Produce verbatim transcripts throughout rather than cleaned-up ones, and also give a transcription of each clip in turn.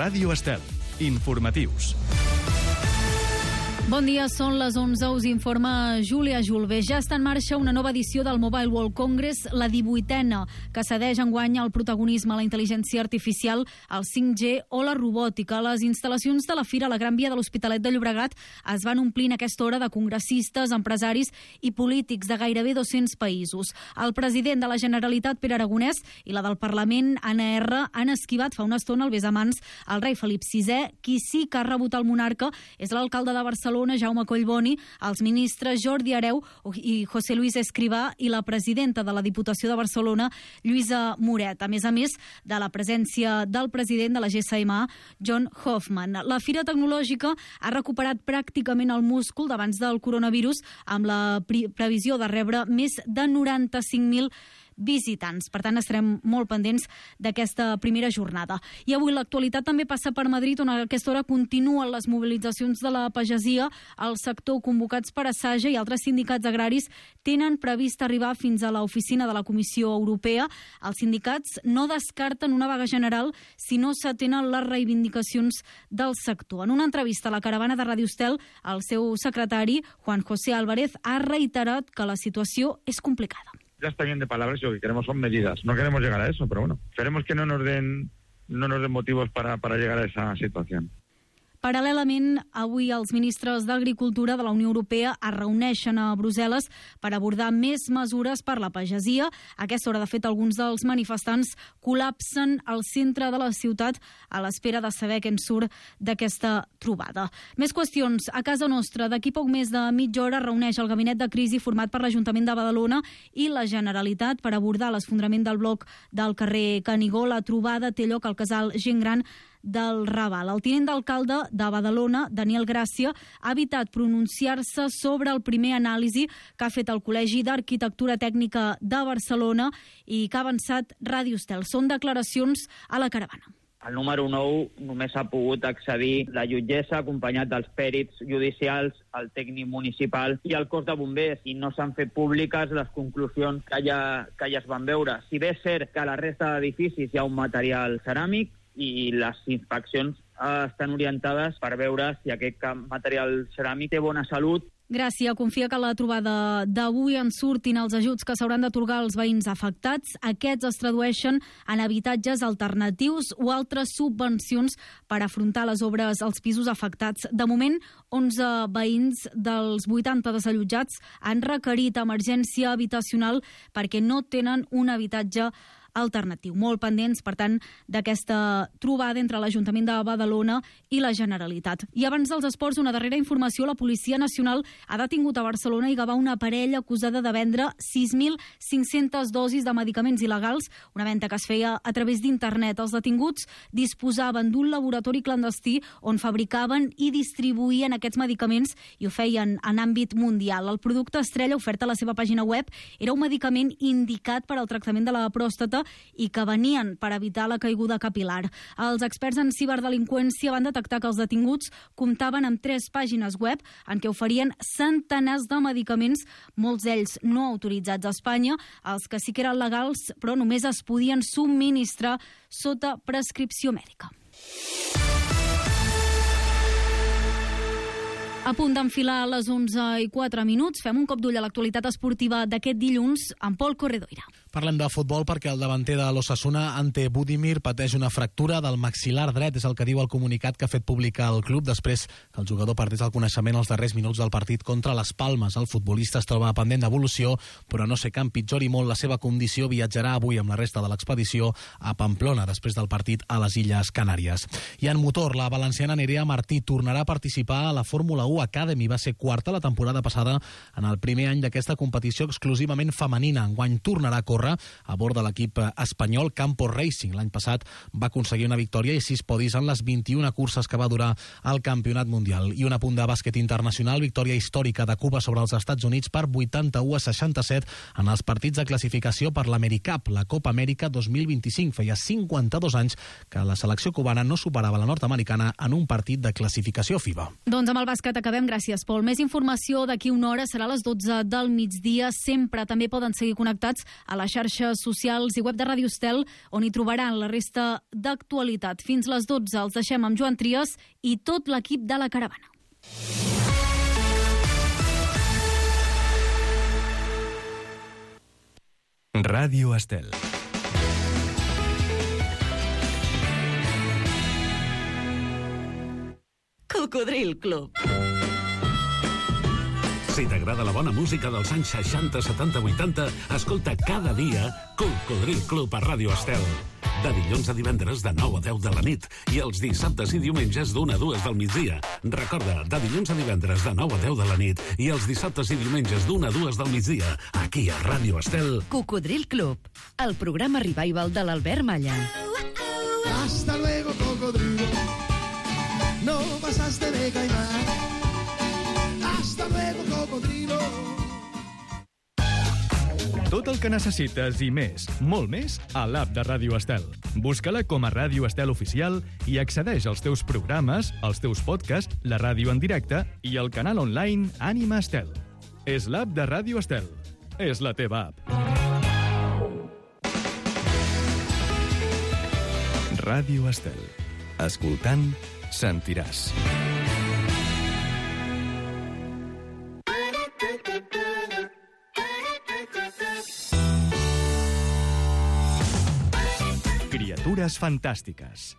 Ràdio Estel. Informatius. Bon dia, són les onze, us informa Júlia Julve. Ja està en marxa una nova edició del Mobile World Congress, la divuitena, que cedeix enguany el protagonisme a la intel·ligència artificial, el cinc G o la robòtica. Les instal·lacions de la Fira a la Gran Via de l'Hospitalet de Llobregat es van omplint a aquesta hora de congressistes, empresaris i polítics de gairebé dos-cents països. El president de la Generalitat, Pere Aragonès, i la del Parlament, Anna R, han esquivat fa una estona el besamans al rei Felip sisè. Qui sí que ha rebut el monarca és l'alcalde de Barcelona, Jaume Collboni, els ministres Jordi Hereu i José Luis Escrivà i la presidenta de la Diputació de Barcelona, Lluïsa Moret, a més a més de la presència del president de la G S M A, John Hoffman. La Fira Tecnològica ha recuperat pràcticament el múscul d'abans del coronavirus, amb la pre- previsió de rebre més de noranta-cinc mil visitants. Per tant, estarem molt pendents d'aquesta primera jornada. I avui l'actualitat també passa per Madrid, on a aquesta hora continuen les mobilitzacions de la pagesia. El sector, convocats per Assaja i altres sindicats agraris, tenen previst arribar fins a l'oficina de la Comissió Europea. Els sindicats no descarten una vaga general si no s'atenen les reivindicacions del sector. En una entrevista a la caravana de Ràdio Estel, el seu secretari, Juan José Álvarez, ha reiterat que la situació és complicada. Ya está bien de palabras, lo que queremos son medidas. No queremos llegar a eso, pero bueno, esperemos que no nos den, no nos den motivos para, para llegar a esa situación. Paral·lelament, avui els ministres d'Agricultura de la Unió Europea es reuneixen a Brussel·les per abordar més mesures per la pagesia. A aquesta hora, de fet, alguns dels manifestants col·lapsen al centre de la ciutat a l'espera de saber què en surt d'aquesta trobada. Més qüestions. A casa nostra, d'aquí poc més de mitja hora, reuneix el gabinet de crisi format per l'Ajuntament de Badalona i la Generalitat per abordar l'esfondrament del bloc del carrer Canigó. La trobada té lloc al casal Gent Gran del Raval. El tinent d'alcalde de Badalona, Daniel Gràcia, ha evitat pronunciar-se sobre el primer anàlisi que ha fet el Col·legi d'Arquitectura Tècnica de Barcelona i que ha avançat Ràdio Estel. Són declaracions a la caravana. El número nou només ha pogut accedir la jutgessa, acompanyat dels pèrits judicials, el tècnic municipal i el cos de bombers, i no s'han fet públiques les conclusions que ja, que ja es van veure. Si bé és cert que a la resta d'edificis hi ha un material ceràmic, i les inspeccions eh, estan orientades per veure si aquest material ceràmic té bona salut. Gràcia confia que a la trobada d'avui en surtin els ajuts que s'hauran d'atorgar als veïns afectats. Aquests es tradueixen en habitatges alternatius o altres subvencions per afrontar les obres als pisos afectats. De moment, onze veïns dels vuitanta desallotjats han requerit emergència habitacional perquè no tenen un habitatge alternatiu. Molt pendents, per tant, d'aquesta trobada entre l'Ajuntament de Badalona i la Generalitat. I abans dels esports, una darrera informació: la Policia Nacional ha detingut a Barcelona i Gavà una parella acusada de vendre sis mil cinc-centes dosis de medicaments il·legals, una venda que es feia a través d'internet. Els detinguts disposaven d'un laboratori clandestí on fabricaven i distribuïen aquests medicaments i ho feien en àmbit mundial. El producte estrella ofert a la seva pàgina web era un medicament indicat per al tractament de la pròstata i que venien per evitar la caiguda capilar. Els experts en ciberdelinqüència van detectar que els detinguts comptaven amb tres pàgines web en què oferien centenars de medicaments, molts d'ells no autoritzats a Espanya. Els que sí que eren legals, però només es podien subministrar sota prescripció mèdica. A punt d'enfilar a les onze i quatre minuts, fem un cop d'ull a l'actualitat esportiva d'aquest dilluns amb Pol Corredoira. Parlem de futbol perquè el davanter de l'Osasuna, Ante Budimir, pateix una fractura del maxil·lar dret. És el que diu el comunicat que ha fet pública el club després que el jugador perdés el coneixement als darrers minuts del partit contra les Palmes. El futbolista es troba pendent d'evolució, però no sé que empitjori molt la seva condició. Viatjarà avui amb la resta de l'expedició a Pamplona després del partit a les Illes Canàries. I en motor, la valenciana Nerea Martí tornarà a participar a la Fórmula u Academy. Va ser quarta la temporada passada en el primer any d'aquesta competició exclusivament femenina. Enguany tornarà a córrer a bord de l'equip espanyol Campo Racing. L'any passat va aconseguir una victòria i sis podis en les vint-i-una curses que va durar el campionat mundial. I un apunt de bàsquet internacional, victòria històrica de Cuba sobre els Estats Units per vuitanta-u a seixanta-set en els partits de classificació per l'AmeriCup, la Copa Amèrica dos mil vint-i-cinc. Feia cinquanta-dos anys que la selecció cubana no superava la nord-americana en un partit de classificació FIBA. Doncs amb el bàsquet acabem. Gràcies, Pol. Més informació d'aquí una hora, serà a les dotze del migdia. Sempre també poden seguir connectats a les xarxes socials i web de Ràdio Estel, on hi trobaran la resta d'actualitat. Fins les dotze els deixem amb Joan Trias i tot l'equip de la Caravana. Ràdio Estel. Cocodril Club. Si t'agrada la bona música dels anys seixanta, setanta, vuitanta, escolta cada dia Cocodril Club a Ràdio Estel. De dilluns a divendres de nou a deu de la nit i els dissabtes i diumenges d'una a dues del migdia. Recorda, de dilluns a divendres de nou a deu de la nit i els dissabtes i diumenges d'una a dues del migdia, aquí a Ràdio Estel. Cocodril Club, el programa revival de l'Albert Malla. Hasta luego, cocodrilo. No pasaste de caimán. Hasta luego, cocodrilo. Tot el que necessites i més, molt més, a l'app de Ràdio Estel. Busca-la com a Ràdio Estel Oficial i accedeix als teus programes, als teus podcasts, la ràdio en directe i el canal online Ànima Estel. És l'app de Ràdio Estel. És la teva app. Ràdio Estel. Escoltant, sentiràs. Criatures fantàstiques.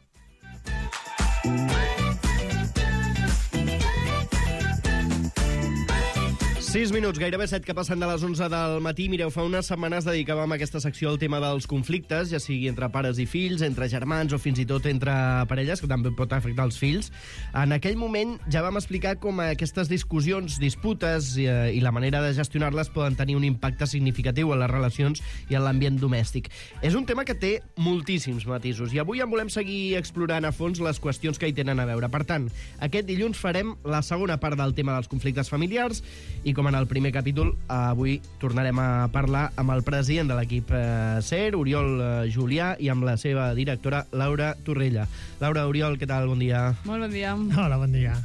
sis minuts, gairebé set que passen de les onze del matí. Mireu, fa unes setmanes dedicàvem aquesta secció al tema dels conflictes, ja sigui entre pares i fills, entre germans o fins i tot entre parelles, que també pot afectar els fills. En aquell moment ja vam explicar com aquestes discussions, disputes i, i la manera de gestionar-les poden tenir un impacte significatiu en les relacions i en l'ambient domèstic. És un tema que té moltíssims matisos i avui en volem seguir explorant a fons les qüestions que hi tenen a veure. Per tant, aquest dilluns farem la segona part del tema dels conflictes familiars i com en el primer capítol, avui tornarem a parlar amb el president de l'equip eh, S E R, Oriol eh, Julià, i amb la seva directora, Laura Torrella. Laura, Oriol, què tal? Bon dia. Molt bon dia. Hola, bon dia.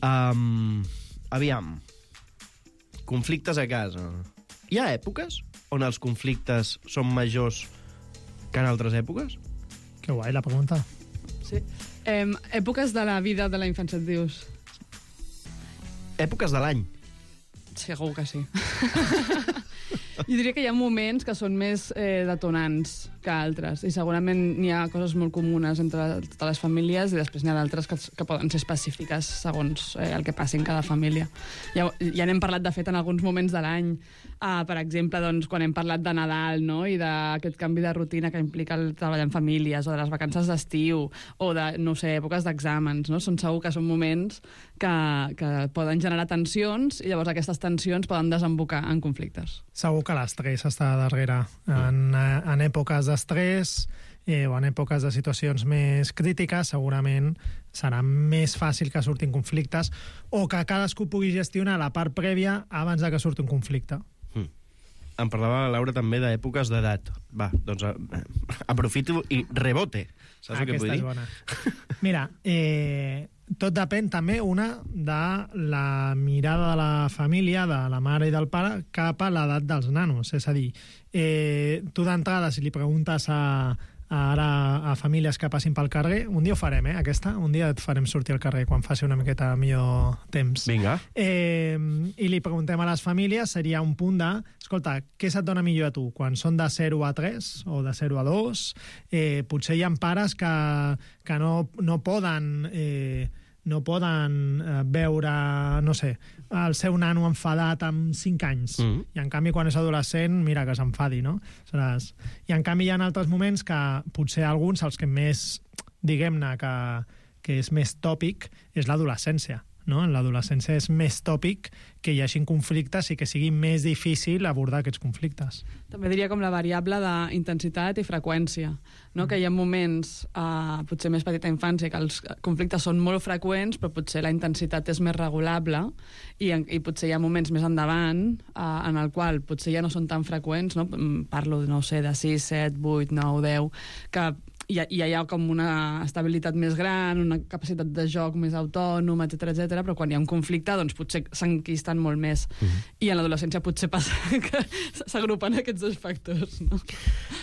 Um, aviam, conflictes a casa. Hi ha èpoques on els conflictes són majors que en altres èpoques? Que guai, la pregunta. Sí. Eh, èpoques de la vida de la infància, et dius? Èpoques de l'any. Segur que sí. Jo diria que hi ha moments que són més eh, detonants que altres, i segurament n'hi ha coses molt comunes entre totes les famílies i després n'hi ha d'altres que, que poden ser específiques segons eh, el que passi en cada família. Ja, ja n'hem parlat, de fet, en alguns moments de l'any, uh, per exemple, doncs, quan hem parlat de Nadal, no?, i d'aquest canvi de rutina que implica el treball en famílies, o de les vacances d'estiu, o de, no sé, èpoques d'exàmens, no? Són segur que són moments que, que poden generar tensions i llavors aquestes tensions poden desembocar en conflictes. Segur que l'estrès està darrere. En, en èpoques d'estrès eh, o en èpoques de situacions més crítiques segurament serà més fàcil que surtin conflictes o que cadascú pugui gestionar la part prèvia abans de que surti un conflicte. Mm. Em parlava la Laura també d'èpoques d'edat. Va, doncs eh, aprofito i rebote. Saps el que vull dir? Aquesta és bona. Mira, eh, tot depèn també, una, de la mirada de la família, de la mare i del pare, cap a l'edat dels nanos. És a dir, eh, tu d'entrada, si li preguntes a, a, ara a famílies que passin pel carrer, un dia ho farem, eh, aquesta, un dia et farem sortir al carrer quan faci una miqueta millor temps. Vinga. Eh, I li preguntem a les famílies, seria un punt de, escolta, què se't dona millor a tu? Quan són de zero a tres o de zero a dos? Eh, potser hi ha pares que, que no, no poden... Eh, no poden eh, veure, no sé, el seu nano enfadat amb cinc anys. Mm. I en canvi, quan és adolescent, mira que s'enfadi, no? Saps? I en canvi hi ha altres moments que potser alguns, els que més, diguem-ne, que, que és més tòpic, és l'adolescència. No? En l'adolescència és més tòpic que hi hagi conflictes i que sigui més difícil abordar aquests conflictes. També diria com la variable d'intensitat i freqüència, no? Mm. Que hi ha moments, eh, potser més petita infància, que els conflictes són molt freqüents, però potser la intensitat és més regulable, i, i potser hi ha moments més endavant eh, en el qual potser ja no són tan freqüents, no? Parlo, no sé, de sis, set, vuit, nou, deu, que i hi ha com una estabilitat més gran, una capacitat de joc més autònoma, etcètera, etcètera, però quan hi ha un conflicte, doncs potser s'enquisten molt més. Uh-huh. I en l'adolescència potser passa que s'agrupen aquests dos factors, no?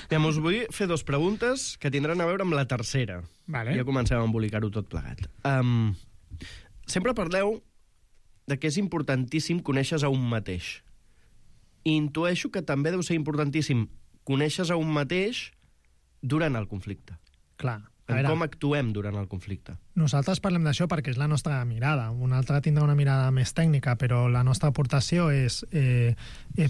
Aviam, us vull fer dos preguntes que tindran a veure amb la tercera. Vale. Ja comencem a embolicar-ho tot plegat. Um, sempre parleu de que és importantíssim conèixer a un mateix. I intueixo que també deu ser importantíssim conèixer a un mateix durant el conflicte. Clar. En com actuem durant el conflicte. Nosaltres parlem d'això perquè és la nostra mirada. Un altre tindrà una mirada més tècnica, però la nostra aportació és eh,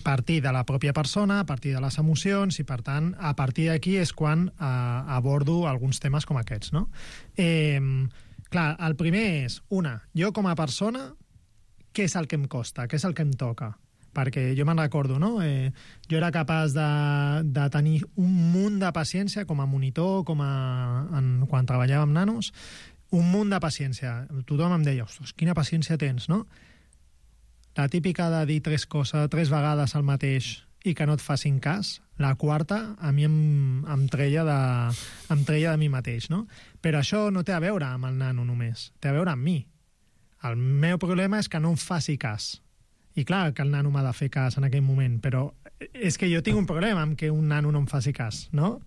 partir de la pròpia persona, a partir de les emocions, i per tant, a partir d'aquí és quan eh, abordo alguns temes com aquests, no? Eh, clar, el primer és, una, jo com a persona, què és el que em costa, què és el que em toca? Perquè jo me'n recordo, no? Eh, jo era capaç de, de tenir un munt de paciència com a monitor, com a, en, quan treballava amb nanos, un munt de paciència. Tothom em deia, ostres, quina paciència tens, no? La típica de dir tres coses, tres vegades el mateix i que no et facin cas, la quarta a mi em, em, treia de, em treia de mi mateix, no? Però això no té a veure amb el nano només, té a veure amb mi. El meu problema és que no em faci cas. I clar que el nano m'ha de fer cas en aquell moment, però és que jo tinc un problema amb que un nano no em faci cas, no?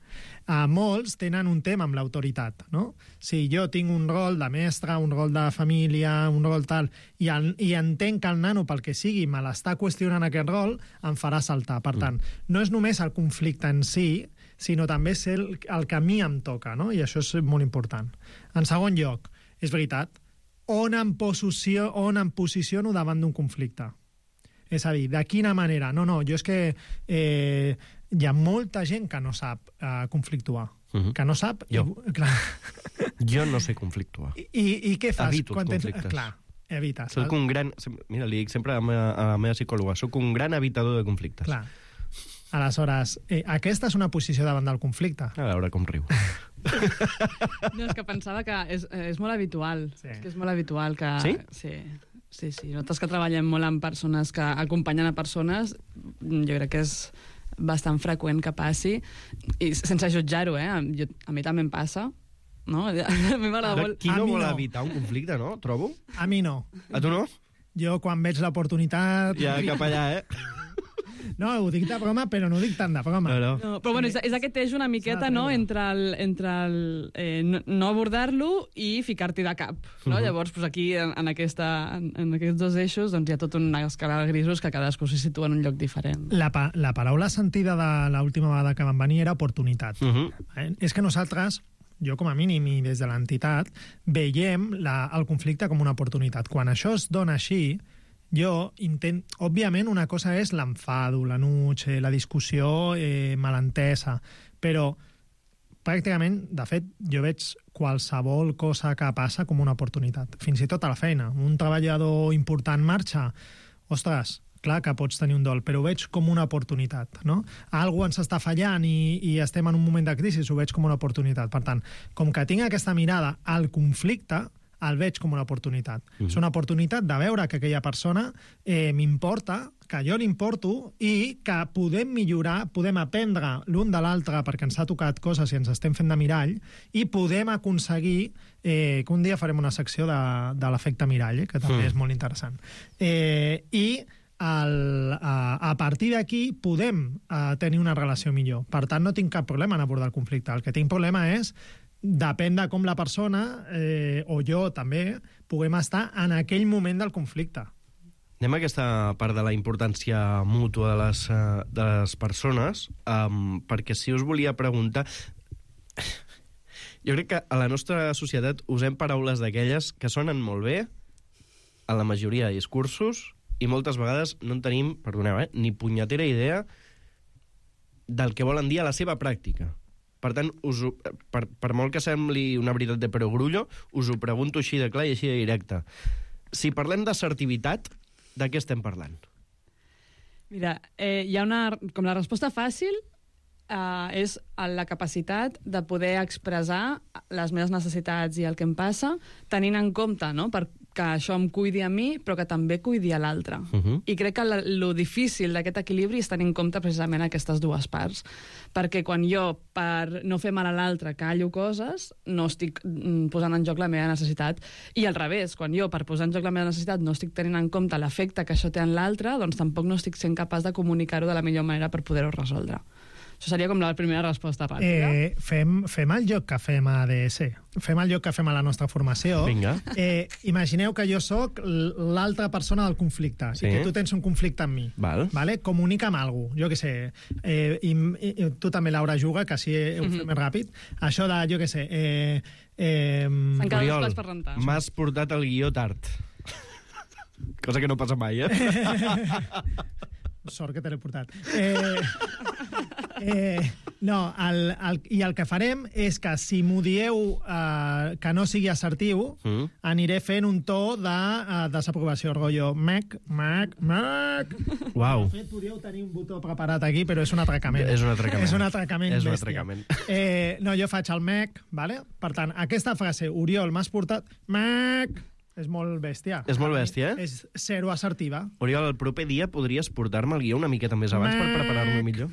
A molts tenen un tema amb l'autoritat, no? Si jo tinc un rol de mestre, un rol de família, un rol tal, i, el, i entenc que el nano, pel que sigui, me l'està qüestionant aquest rol, em farà saltar. Per tant, no és només el conflicte en si, sinó també és el, el que a mi em toca, no? I això és molt important. En segon lloc, és veritat, on em, posicio, on em posiciono davant d'un conflicte? És a dir, de quina manera? No, no, jo és que eh, hi ha molta gent que no sap eh, conflictuar. Uh-huh. Que no sap... Jo. I, clar. Jo no sé conflictuar. I, i, i què fas? Evito quan els tens... conflictes. Clar, evites. Soc un gran... Mira, li dic sempre a la meva, a la meva psicòloga, soc un gran evitador de conflictes. Clar. Aleshores, eh, aquesta és una posició davant del conflicte. A veure com riu. No, és que pensava que és, és molt habitual. Sí. És que és molt habitual que... Sí? Sí. Sí, sí. Nosaltres que treballem molt amb persones que acompanyen a persones, jo crec que és bastant freqüent que passi, i sense jutjar-ho, eh? Jo, a mi també em passa, no? A mi m'agrada molt... Qui no vol no. evitar un conflicte, no? Trobo. A mi no. A tu no? Jo, quan veig l'oportunitat... Ja cap allà, eh? No, ho dic de broma, però no ho dic tant de broma. No, no. No, però bueno, és, és aquest eix una miqueta, no?, entre el, entre el eh, no, no abordar-lo i ficar-t'hi de cap, no? Uh-huh. Llavors, pues aquí, en, en, aquesta, en, en aquests dos eixos, doncs hi ha tota una escala de grisos que cadascú s'hi situa en un lloc diferent. La, pa la paraula sentida de l'última vegada que van venir era oportunitat. Uh-huh. eh? És que nosaltres, jo com a mínim i des de l'entitat, veiem la, el conflicte com una oportunitat. Quan això es dona així, jo intent... Òbviament, una cosa és l'enfado, l'enuig, eh, la discussió eh, malentesa, però pràcticament, de fet, jo veig qualsevol cosa que passa com una oportunitat. Fins i tot a la feina. Un treballador important marxa, ostres, clar que pots tenir un dol, però ho veig com una oportunitat, no? Algú ens està fallant i, i estem en un moment de crisi, ho veig com una oportunitat. Per tant, com que tinc aquesta mirada al conflicte, el veig com una oportunitat. Mm. És una oportunitat de veure que aquella persona eh, m'importa, que jo l'importo i que podem millorar, podem aprendre l'un de l'altre perquè ens ha tocat coses i ens estem fent de mirall i podem aconseguir eh, que un dia farem una secció de, de l'efecte mirall, eh, que també mm. és molt interessant. Eh, I el, a, a partir d'aquí podem eh, tenir una relació millor. Per tant, no tinc cap problema en abordar el conflicte. El que tinc problema és depèn de com la persona, eh, o jo també, puguem estar en aquell moment del conflicte. Anem a aquesta part de la importància mútua de les, de les persones, um, perquè si us volia preguntar... Jo crec que a la nostra societat usem paraules d'aquelles que sonen molt bé a la majoria de discursos i moltes vegades no en tenim, perdoneu, eh, ni punyetera idea del que volen dir a la seva pràctica. Per tant, us ho, per, per molt que sembli una veritat de perogrullo, us ho pregunto així de clar i així de directe. Si parlem d'assertivitat, de què estem parlant? Mira, eh, hi ha una... Com la resposta fàcil eh, és la capacitat de poder expressar les meves necessitats i el que em passa, tenint en compte, no?, per que això em cuidi a mi, però que també cuidi a l'altre. Uh -huh. I crec que la, lo difícil d'aquest equilibri és tenir en compte precisament aquestes dues parts. Perquè quan jo, per no fer mal a l'altre, callo coses, no estic mm, posant en joc la meva necessitat. I al revés, quan jo, per posar en joc la meva necessitat, no estic tenint en compte l'efecte que això té en l'altre, doncs tampoc no estic sent capaç de comunicar-ho de la millor manera per poder-ho resoldre. Això seria com la primera resposta ràpida. Eh, fem, fem el joc que fem a A D S. Fem el joc que fem a la nostra formació. Vinga. Eh, imagineu que jo sóc l'altra persona del conflicte Sí. i que tu tens un conflicte amb mi. Val. Vale? Comunica'm alguna cosa. Jo què sé. Eh, i, i, tu també, Laura, juga, que així ho fem Mhm. més ràpid. Això de, jo què sé... Eh, eh, Encara Oriol, dos plats per rentar. m'has portat el guió tard. Cosa que no passa mai, eh? Sort que te l'he portat. Eh, eh, no, el, el, i el que farem és que si m'ho dieu eh, que no sigui assertiu, Mm. aniré fent un to de uh, desaprovació, rotllo mec, mec, mec. Uau. De fet, podríeu tenir un botó preparat aquí, però és un atracament. És un atracament. És un atracament És un bèstia. atracament. Eh, no, jo faig el mec, vale? Per tant, aquesta frase, Oriol, m'has portat mec, és molt bèstia. És molt bèstia, eh? És zero assertiva. Oriol, el proper dia podries portar-me el guió una miqueta més abans per preparar-lo millor?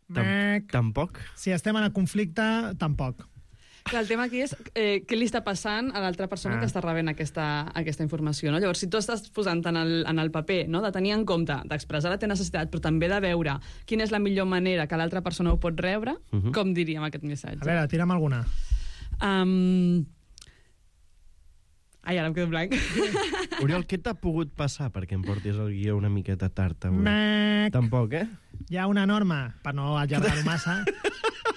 Mec. Tampoc? Si estem en el conflicte, tampoc. Clar, el tema aquí és eh, què li està passant a l'altra persona Ah. que està rebent aquesta, aquesta informació. No? Llavors, si tu estàs posant en el, en el paper no? de tenir en compte, d'expressar la teva necessitat, però també de veure quina és la millor manera que l'altra persona ho pot rebre, uh -huh. com diríem aquest missatge? A veure, tira'm alguna. Um... Ai, ara em quedo blanc. Oriol, què t'ha pogut passar perquè em portis el guió una miqueta tard avui? Mec. Tampoc, eh? Hi ha una norma, per no allargar-ho massa,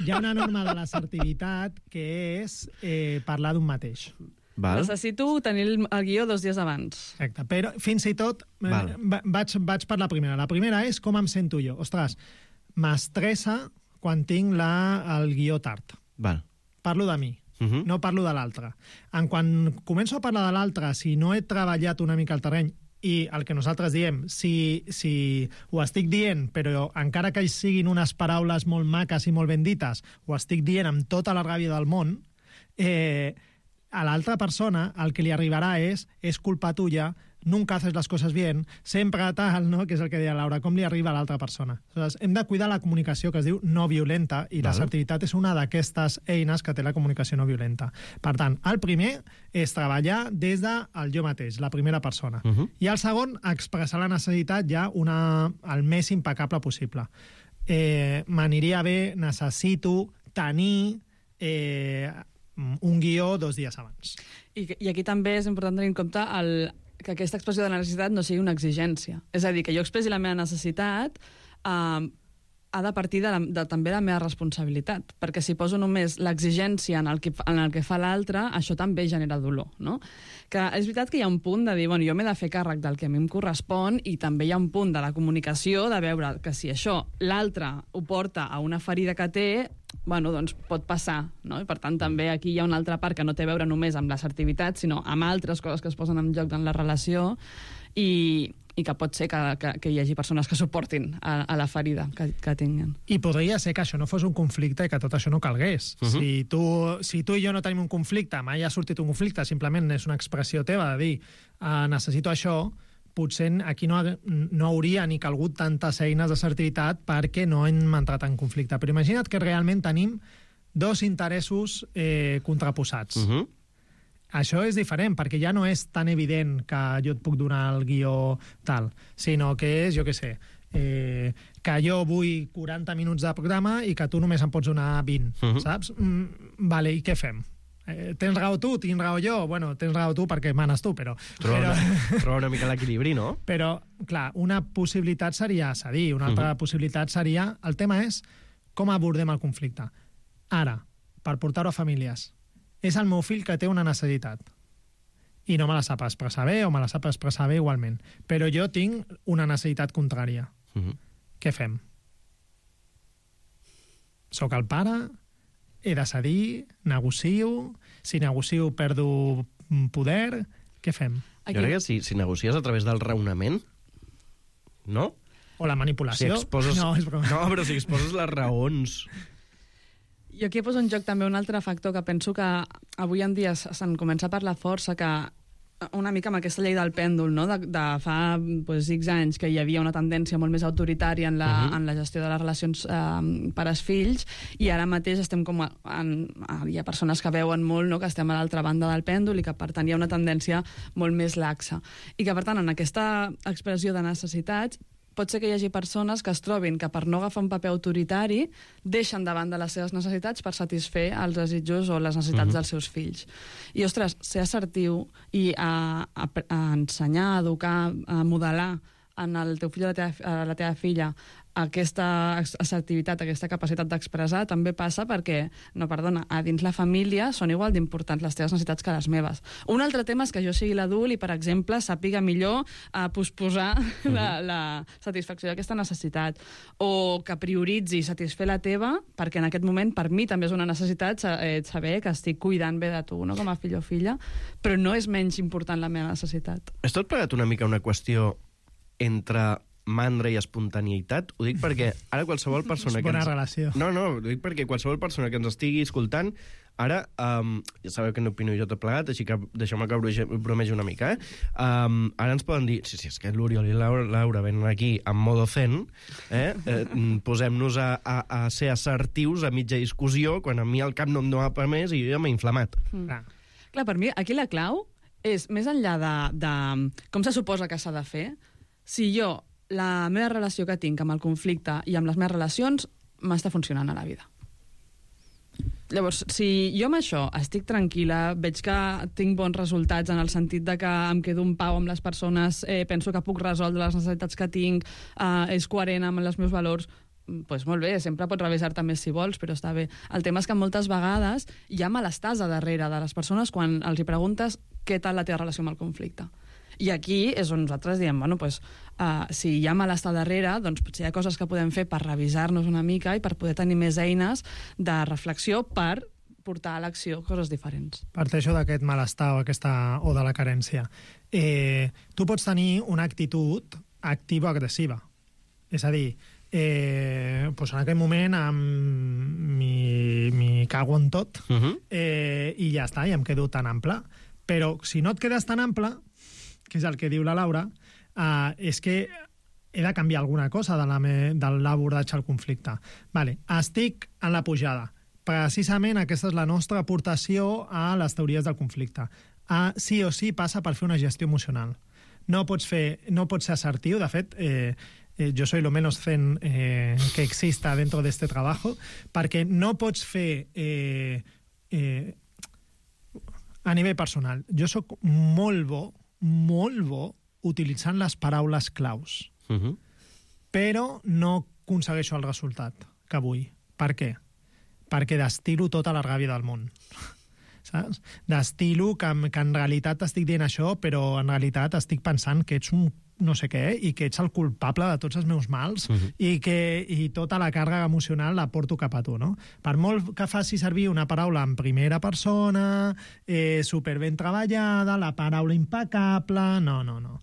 hi ha una norma de l'assertivitat que és eh, parlar d'un mateix. Val. Necessito tenir el, el guió dos dies abans. Exacte, però fins i tot eh, Val. va- vaig, vaig per la primera. La primera és com em sento jo. Ostres, m'estressa quan tinc la, el guió tard. Val. Parlo de mi. Uh -huh. No parlo de l'altre. En quan començo a parlar de l'altre, si no he treballat una mica el terreny, i el que nosaltres diem, si, si ho estic dient, però encara que siguin unes paraules molt maques i molt ben dites, ho estic dient amb tota la ràbia del món, eh, a l'altra persona el que li arribarà és, és culpa tuya, nunca haces las cosas bien, sempre tal, no? Que és el que deia Laura, com li arriba a l'altra persona. Aleshores, hem de cuidar la comunicació que es diu no violenta, i Val. l'assertivitat és una d'aquestes eines que té la comunicació no violenta. Per tant, el primer és treballar des del jo mateix, la primera persona. Uh -huh. I el segon, expressar la necessitat ja una, el més impecable possible. Eh, M'aniria bé, necessito tenir eh, un guió dos dies abans. I, I aquí també és important tenir en compte el, que aquesta expressió de la necessitat no sigui una exigència. És a dir, que jo expressi la meva necessitat eh, ha de partir de, la, de també la meva responsabilitat, perquè si poso només l'exigència en, el que, en el que fa l'altre, això també genera dolor, no? Que és veritat que hi ha un punt de dir, bueno, jo m'he de fer càrrec del que a mi em correspon, i també hi ha un punt de la comunicació de veure que si això l'altre ho porta a una ferida que té, bueno, doncs pot passar, no? I per tant també aquí hi ha una altra part que no té a veure només amb l'assertivitat, sinó amb altres coses que es posen en joc en la relació, i, i que pot ser que, que, que hi hagi persones que suportin a, a la ferida que, que tinguin. I podria ser que això no fos un conflicte i que tot això no calgués. Uh -huh. si, tu, si tu i jo no tenim un conflicte, mai ha sortit un conflicte, simplement és una expressió teva de dir uh, necessito això, potser aquí no, no hauria ni calgut tantes eines d'assertivitat perquè no hem entrat en conflicte. Però imagina't que realment tenim dos interessos eh, contraposats. Uh -huh. Això és diferent, perquè ja no és tan evident que jo et puc donar el guió tal, sinó que és, jo què sé, eh, que jo vull quaranta minuts de programa i que tu només em pots donar vint, uh -huh. saps? Mm, vale, i què fem? Eh, tens raó tu, tinc raó jo? Bueno, tens raó tu perquè manes tu, però... Troba, però... una, troba una mica l'equilibri, no? Però, clar, una possibilitat seria cedir, una altra uh -huh. possibilitat seria... El tema és com abordem el conflicte. Ara, per portar-ho a famílies, és el meu fill que té una necessitat i no me la sap expressar bé o me la sap expressar bé igualment, però jo tinc una necessitat contrària. Uh -huh. Què fem? Soc el pare, he de cedir, negocio, si negocio perdo poder, què fem? Aquí... Jo crec que si, si negocies a través del raonament, no? O la manipulació. Si exposes... No, és broma. No, però si exposes les raons... Jo aquí poso en joc també un altre factor que penso que avui en dia se'n comença a parlar força, que una mica amb aquesta llei del pèndol, no? de, de fa pues, X anys que hi havia una tendència molt més autoritària en la, uh-huh. en la gestió de les relacions eh, pares-fills, i ara mateix estem com a, en, hi ha persones que veuen molt, no? que estem a l'altra banda del pèndol i que per tant hi ha una tendència molt més laxa. I que per tant en aquesta expressió de necessitats pot ser que hi hagi persones que es trobin que per no agafar un paper autoritari deixen davant de les seves necessitats per satisfer els desitjos o les necessitats uh-huh. dels seus fills. I, ostres, ser assertiu i a, a, a ensenyar, a educar, a modelar en el teu fill o la teva, la teva filla aquesta assertivitat, aquesta capacitat d'expressar també passa perquè, no, perdona, a dins la família són igual d'importants les teves necessitats que les meves. Un altre tema és que jo sigui l'adult i, per exemple, sàpiga millor a posposar uh-huh. la, la satisfacció d'aquesta necessitat, o que prioritzi satisfer la teva, perquè en aquest moment per mi també és una necessitat eh, saber que estic cuidant bé de tu, no? com a fill o filla, però no és menys important la meva necessitat. És tot plegat una mica una qüestió entre mandra i espontaneïtat? Ho dic perquè ara qualsevol persona... És bona que ens... relació. No, no, ho dic perquè qualsevol persona que ens estigui escoltant, ara, um, ja sabeu que no opino jo tot plegat, així que deixeu-me que bromegi una mica, eh? Um, ara ens poden dir, sí, sí, és que l'Oriol i Laura, Laura venen aquí en modo zen, eh? eh posem-nos a, a, a ser assertius a mitja discussió, quan a mi el cap no em dona per més i jo ja m'he inflamat. Mm. Clar. Clar, per mi aquí la clau és, més enllà de, de com se suposa que s'ha de fer, si jo la meva relació que tinc amb el conflicte i amb les meves relacions m'està funcionant a la vida. Llavors, si jo amb això estic tranquil·la, veig que tinc bons resultats en el sentit de que em quedo en pau amb les persones, eh, penso que puc resoldre les necessitats que tinc, eh, és coherent amb els meus valors, doncs molt bé, sempre pots revisar-te més si vols, però està bé. El tema és que moltes vegades hi ha malestàs a darrere de les persones quan els hi preguntes què tal la teva relació amb el conflicte. I aquí és on nosaltres diem, bueno, pues, uh, si hi ha malestar darrere, doncs potser hi ha coses que podem fer per revisar-nos una mica i per poder tenir més eines de reflexió per portar a l'acció coses diferents. Parteixo d'aquest malestar o, aquesta, o de la carència. Eh, tu pots tenir una actitud activa-agressiva. És a dir, eh, pues en aquell moment m'hi cago en tot uh-huh. eh, i ja està, i em quedo tan ample. Però si no et quedes tan ample, que és el que diu la Laura, uh, és que he de canviar alguna cosa de la me, de l'abordatge al conflicte. Vale, estic en la pujada. Precisament aquesta és la nostra aportació a les teories del conflicte. Uh, sí o sí passa per fer una gestió emocional. No pots, fer, no pots ser assertiu. De fet, eh, eh, jo soy lo menos zen eh, que exista dentro de este trabajo, perquè no pots fer... Eh, eh, a nivell personal, jo sóc molt bo molt bo utilitzant les paraules claus. Uh-huh. Però no aconsegueixo el resultat que vull. Per què? Perquè destilo tota la ràbia del món. Saps? Destilo que, que en realitat estic dient això, però en realitat estic pensant que ets un no sé què i que ets el culpable de tots els meus mals uh-huh. i que i tota la càrrega emocional la porto cap a tu, no? Per molt que faci servir una paraula en primera persona, eh, superben treballada, la paraula impecable... No, no, no.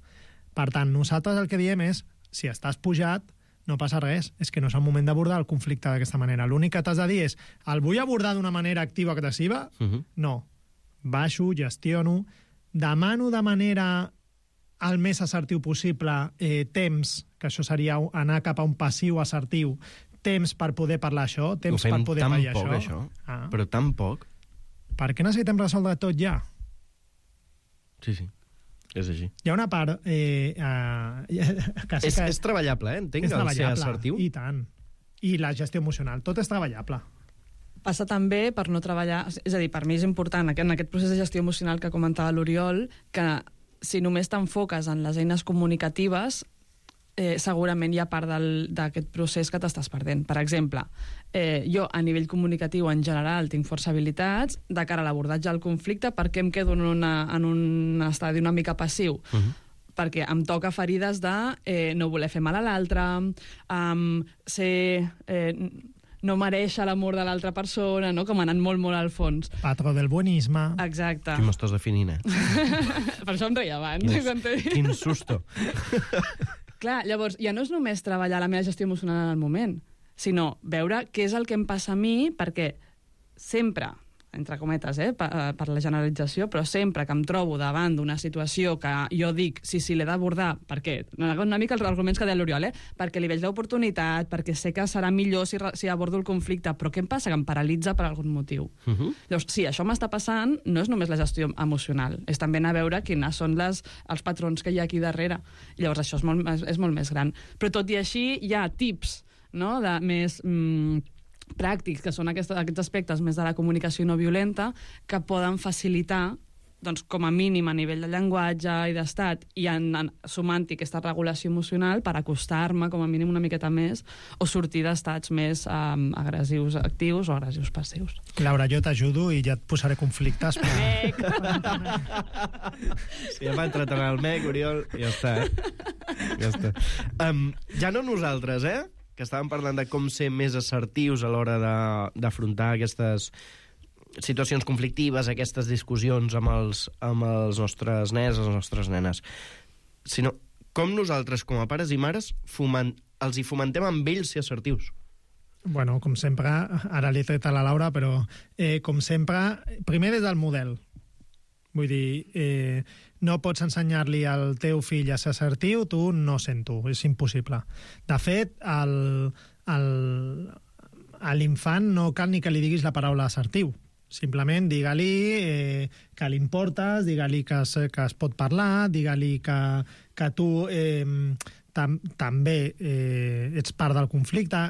Per tant, nosaltres el que diem és, si estàs pujat, no passa res, és que no és el moment d'abordar el conflicte d'aquesta manera. L'únic que t'has de dir és, el vull abordar d'una manera activa-agressiva? Uh-huh. No. Baixo, gestiono, demano de manera... el més assertiu possible, eh, temps, que això seria anar cap a un passiu assertiu, temps per poder parlar això, temps per poder parlar això. Ho fem tan poc, això, ah. però tan poc. Per què necessitem resoldre tot ja? Sí, sí, és així. Hi ha una part... Eh, eh, que sí és, que és treballable, eh? Entenc, el ser assertiu. I tant. I la gestió emocional, tot és treballable. Passa també per no treballar... És a dir, per mi és important, en aquest procés de gestió emocional que comentava l'Oriol, que si només t'enfoques en les eines comunicatives, eh, segurament hi ha part d'aquest procés que t'estàs perdent. Per exemple, eh, jo a nivell comunicatiu en general tinc força habilitats de cara a l'abordatge del conflicte perquè em quedo en, una, en un estadi una mica passiu. Uh-huh. Perquè em toca ferides de eh, no voler fer mal a l'altre, um, ser... Eh, no mereix l'amor de l'altra persona, no? Com anant molt, molt al fons. Patró del buenisme. Exacte. Aquí m'estàs definint, eh? Per això em reia abans. Quin, quin susto. Clar, llavors, ja no és només treballar la meva gestió emocional en el moment, sinó veure què és el que em passa a mi, perquè sempre, entre cometes, eh, per, per la generalització, però sempre que em trobo davant d'una situació que jo dic, sí, sí, l'he d'abordar, per què? Una mica els arguments que deia l'Oriol, eh? Perquè li veig l'oportunitat, perquè sé que serà millor si, si abordo el conflicte, però què em passa? Que em paralitza per algun motiu. Uh-huh. Llavors, sí, això m'està passant, no és només la gestió emocional, és també anar a veure quines són les, els patrons que hi ha aquí darrere. Llavors, això és molt, és molt més gran. Però tot i així, hi ha tips, no?, de més... Mm, pràctics, que són aquests, aquests aspectes més de la comunicació no violenta, que poden facilitar, doncs, com a mínim a nivell de llenguatge i d'estat, i en, en, sumant-hi aquesta regulació emocional per acostar-me com a mínim una miqueta més o sortir d'estats més um, agressius actius o agressius passius. Laura, jo t'ajudo i ja et posaré conflictes. Per... si ja m'ha entrat en el mec, Oriol, ja està, eh? Ja està. Um, ja no nosaltres, eh? Que estàvem parlant de com ser més assertius a l'hora d'afrontar aquestes situacions conflictives, aquestes discussions amb els, amb els nostres nens, les nostres nenes. Sinó com nosaltres, com a pares i mares, foment, els hi fomentem amb ells ser assertius. Bueno, com sempre, ara li he tret a la Laura, però eh, com sempre, primer des del model. Vull dir, eh, no pots ensenyar-li al teu fill a ser assertiu, tu no sento, és impossible. De fet, el, el, a l'infant no cal ni que li diguis la paraula assertiu. Simplement digue-li eh, que li importes, digue-li que, es, que es pot parlar, digue-li que, que tu eh, tam, també eh, ets part del conflicte.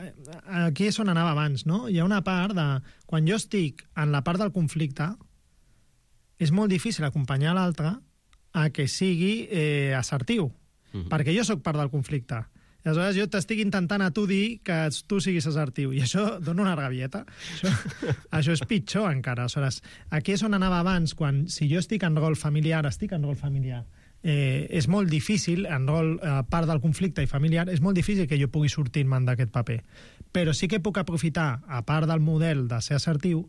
Aquí és on anava abans, no? Hi ha una part de... Quan jo estic en la part del conflicte, és molt difícil acompanyar l'altre a que sigui eh, assertiu, mm-hmm. perquè jo sóc part del conflicte. I aleshores jo t'estic intentant a tu dir que tu siguis assertiu, i això dona una rabieta. Això, això és pitjor encara. Aleshores, aquí és on anava abans, quan si jo estic en rol familiar, estic en rol familiar. Eh, és molt difícil, en rol eh, part del conflicte i familiar, és molt difícil que jo pugui sortir-me'n d'aquest paper. Però sí que puc aprofitar, a part del model de ser assertiu,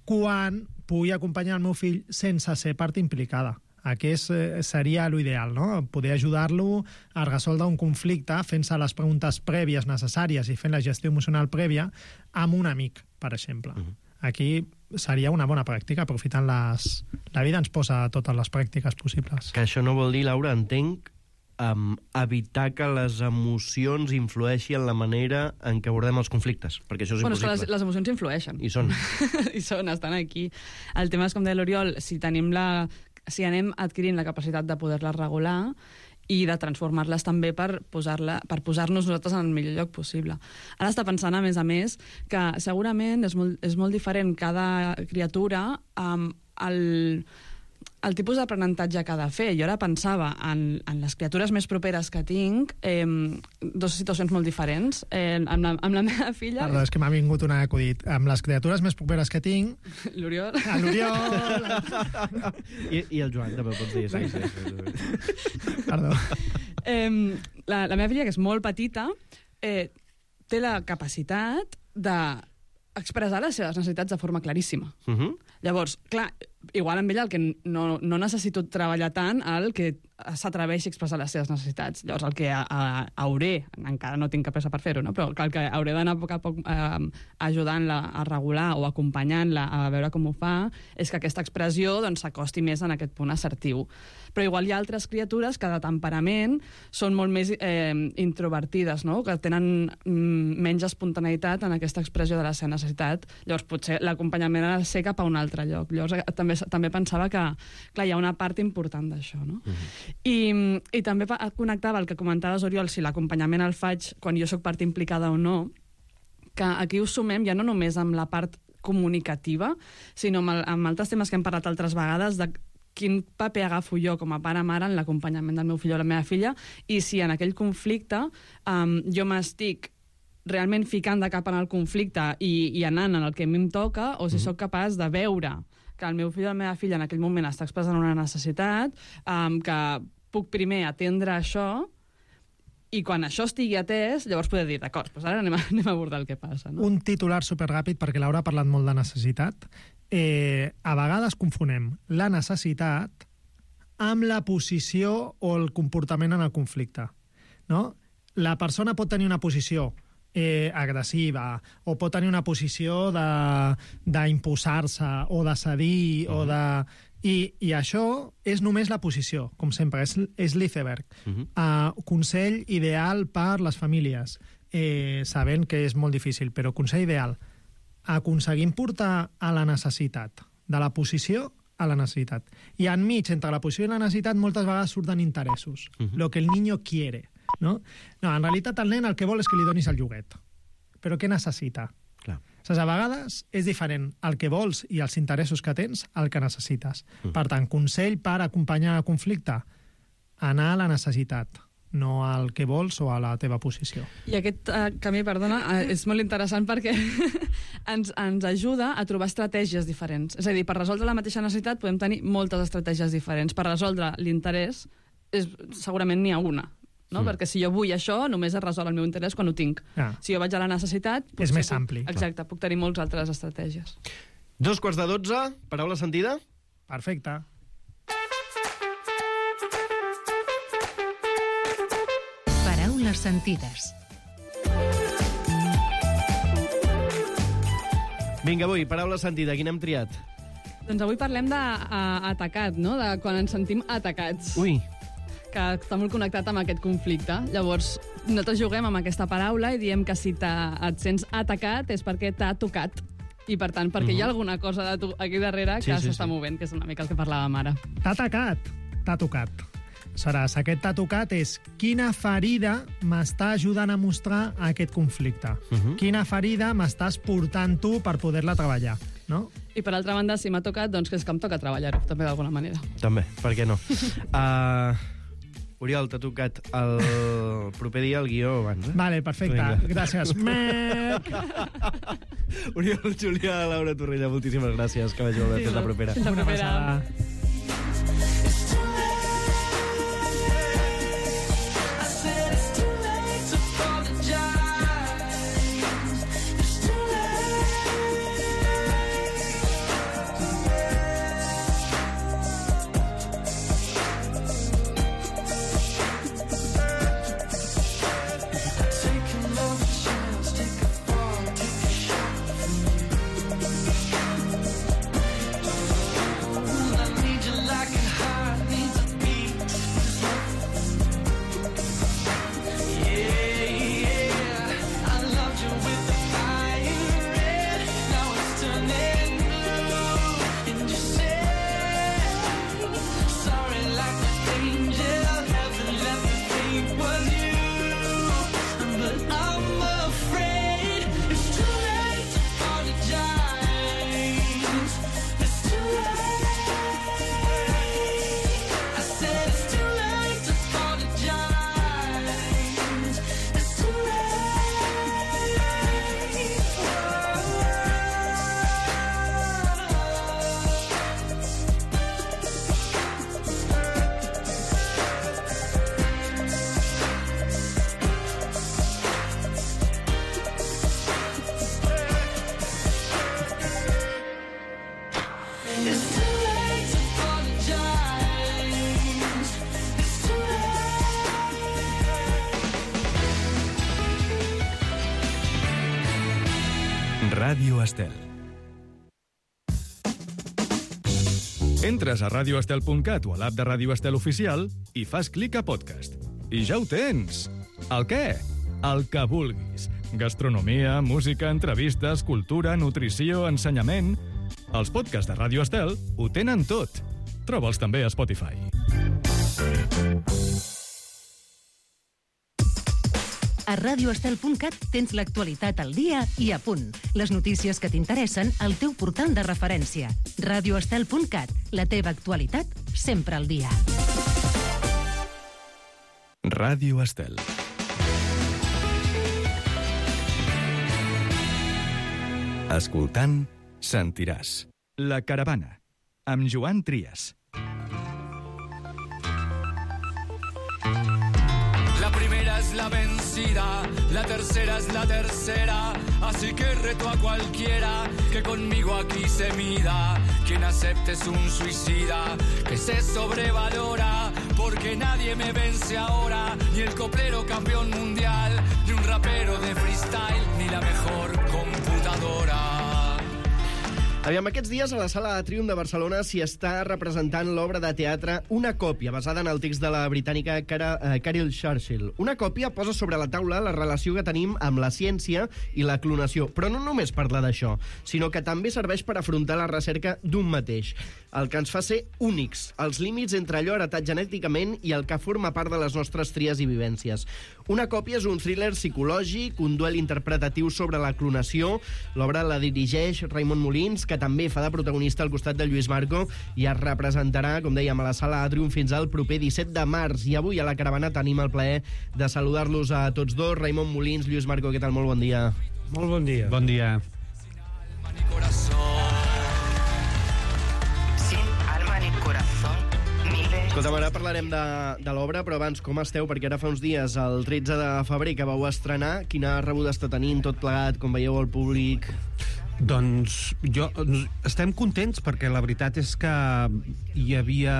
quan pugui acompanyar el meu fill sense ser part implicada. Aquest seria l'ideal, no? Poder ajudar-lo a resoldre un conflicte fent-se les preguntes prèvies necessàries i fent la gestió emocional prèvia amb un amic, per exemple. Uh-huh. Aquí seria una bona pràctica, aprofitant les... La vida ens posa totes les pràctiques possibles. Que això no vol dir, Laura, entenc, um, evitar que les emocions influeixin en la manera en què abordem els conflictes, perquè això és bueno, impossible. És que les, les emocions influeixen. I són. I són, estan aquí. El tema és, com deia l'Oriol, si tenim la... si anem adquirint la capacitat de poder-les regular i de transformar-les també per posar-la, per posar-nos nosaltres en el millor lloc possible. Ara està pensant, a més a més, que segurament és molt, és molt diferent cada criatura amb el... el tipus d'aprenentatge que ha de fer. Jo ara pensava en, en les criatures més properes que tinc, eh, dues situacions molt diferents. Eh, amb, la, amb la meva filla... Perdó, és que m'ha vingut un acudit. Amb les criatures més properes que tinc... L'Oriol. Ah, l'Oriol! I, I el Joan, també pots dir. Sí, sí, sí. Perdó. Eh, la, la meva filla, que és molt petita, eh, té la capacitat de expressar les seves necessitats de forma claríssima. Uh-huh. Llavors, clar, igual amb ella el que no, no necessito treballar tant el que s'atreveixi a expressar les seves necessitats. Llavors, el que a, a, hauré, encara no tinc cap pressa per fer-ho, no? Però el que hauré d'anar a poc a poc eh, ajudant-la a regular o acompanyant-la a veure com ho fa, és que aquesta expressió doncs, s'acosti més en aquest punt assertiu. Però igual hi ha altres criatures que de temperament són molt més eh, introvertides, no? Que tenen mm, menys espontaneïtat en aquesta expressió de la seva necessitat. Llavors, potser l'acompanyament ha de ser cap a un altre lloc. Llavors, també, també pensava que clar, hi ha una part important d'això, no? Uh-huh. I, I també connectava el que comentaves, Oriol, si l'acompanyament el faig quan jo sóc part implicada o no, que aquí us sumem ja no només amb la part comunicativa, sinó amb, el, amb altres temes que hem parlat altres vegades de quin paper agafo jo com a pare o mare en l'acompanyament del meu fill o la meva filla, i si en aquell conflicte um, jo m'estic realment ficant de cap en el conflicte i, i anant en el que a mi em toca, o si mm. sóc capaç de veure que el meu fill o la meva filla en aquell moment està expressant una necessitat, um, que puc primer atendre això, i quan això estigui atès, llavors poder dir, d'acord, doncs ara anem a, anem a abordar el que passa. No? Un titular superràpid, perquè Laura ha parlat molt de necessitat. Eh, a vegades confonem la necessitat amb la posició o el comportament en el conflicte. No? La persona pot tenir una posició eh, agressiva, o pot tenir una posició d'imposar-se, o de cedir, uh-huh. o de... I, I això és només la posició, com sempre, és, és l'iceberg. Uh-huh. Uh, consell ideal per les famílies, eh, sabent que és molt difícil, però consell ideal, aconseguim portar a la necessitat, de la posició a la necessitat. I enmig, entre la posició i la necessitat, moltes vegades surten interessos, uh-huh. lo que el niño quiere. No? No, en realitat el nen el que vol és que li donis el lloguet. Però què necessita? Clar. Saps, a vegades és diferent el que vols i els interessos que tens al que necessites. Mm. Per tant, consell per acompanyar el conflicte, anar a la necessitat, no al que vols o a la teva posició. I aquest uh, camí, perdona, uh, és molt interessant perquè ens, ens ajuda a trobar estratègies diferents. És a dir, per resoldre la mateixa necessitat podem tenir moltes estratègies diferents. Per resoldre l'interès, és, segurament n'hi ha una. No? Mm. Perquè si jo vull això, només es resol el meu interès quan ho tinc. Ah. Si jo vaig a la necessitat... És més puc, ampli. Exacte, clar. Puc tenir moltes altres estratègies. Dos quarts de dotze, paraula sentida? Perfecte. Paraules sentides. Vinga, avui, paraula sentida, quina hem triat? Doncs avui parlem d'atacat, no? De quan ens sentim atacats. Ui. Que està molt connectat amb aquest conflicte. Llavors, nosaltres juguem amb aquesta paraula i diem que si et sents atacat és perquè t'ha tocat. I, per tant, perquè uh-huh. hi ha alguna cosa de tu aquí darrere sí, que sí, s'està sí. movent, que és una mica el que parlàvem ara. T'ha atacat, t'ha tocat. Aleshores, aquest t'ha tocat és quina ferida m'està ajudant a mostrar aquest conflicte. Uh-huh. Quina ferida m'estàs portant tu per poder-la treballar, no? I, per altra banda, si m'ha tocat, doncs que és que em toca treballar-ho, també d'alguna manera. També, per què no? uh... Oriol, t'ha tocat el proper dia el guió abans, eh? Vale, perfecte. Vinga. Gràcies. Mec! Oriol, Julià, Laura Torrella, moltíssimes gràcies. Que vagi molt bé. Fins la propera. Fins la propera. Ràdio Estel. Entres a radio estel punt cat o a l'app de Ràdio Estel Oficial i fas clic a podcast. I ja ho tens! El què? El que vulguis. Gastronomia, música, entrevistes, cultura, nutrició, ensenyament... Els podcasts de Ràdio Estel ho tenen tot. Troba'ls també a Spotify. A radio estel punt cat tens l'actualitat al dia i a punt. Les notícies que t'interessen al teu portal de referència. radio estel punt cat, la teva actualitat sempre al dia. Ràdio Estel. Escoltant, sentiràs. La caravana, amb Joan Trias. La primera es la vencida, la tercera es la tercera, así que reto a cualquiera que conmigo aquí se mida. Quien acepte es un suicida, que se sobrevalora, porque nadie me vence ahora, ni el coplero campeón mundial, ni un rapero de freestyle. Aviam, aquests dies a la Sala Atrium de Barcelona s'hi està representant l'obra de teatre Una còpia, basada en el text de la britànica Cara, eh, Carol Churchill. Una còpia posa sobre la taula la relació que tenim amb la ciència i la clonació, però no només parla d'això, sinó que també serveix per afrontar la recerca d'un mateix, el que ens fa ser únics, els límits entre allò heretat genèticament i el que forma part de les nostres tries i vivències. Una còpia és un thriller psicològic, un duel interpretatiu sobre la clonació. L'obra la dirigeix Raimon Molins, que també fa de protagonista al costat de Lluís Marco, i es representarà, com dèiem, a la Sala Atrium fins al proper disset de març. I avui a la caravana tenim el plaer de saludar-los a tots dos. Raimon Molins, Lluís Marco, què tal? Molt bon dia. Molt bon dia. Bon dia. Escolta'm, ara parlarem de, de l'obra, però abans, com esteu? Perquè ara fa uns dies, el tretze de febrer, que vau estrenar, quina rebuda està tenint, tot plegat, com veieu el públic? Doncs jo, estem contents perquè la veritat és que hi havia...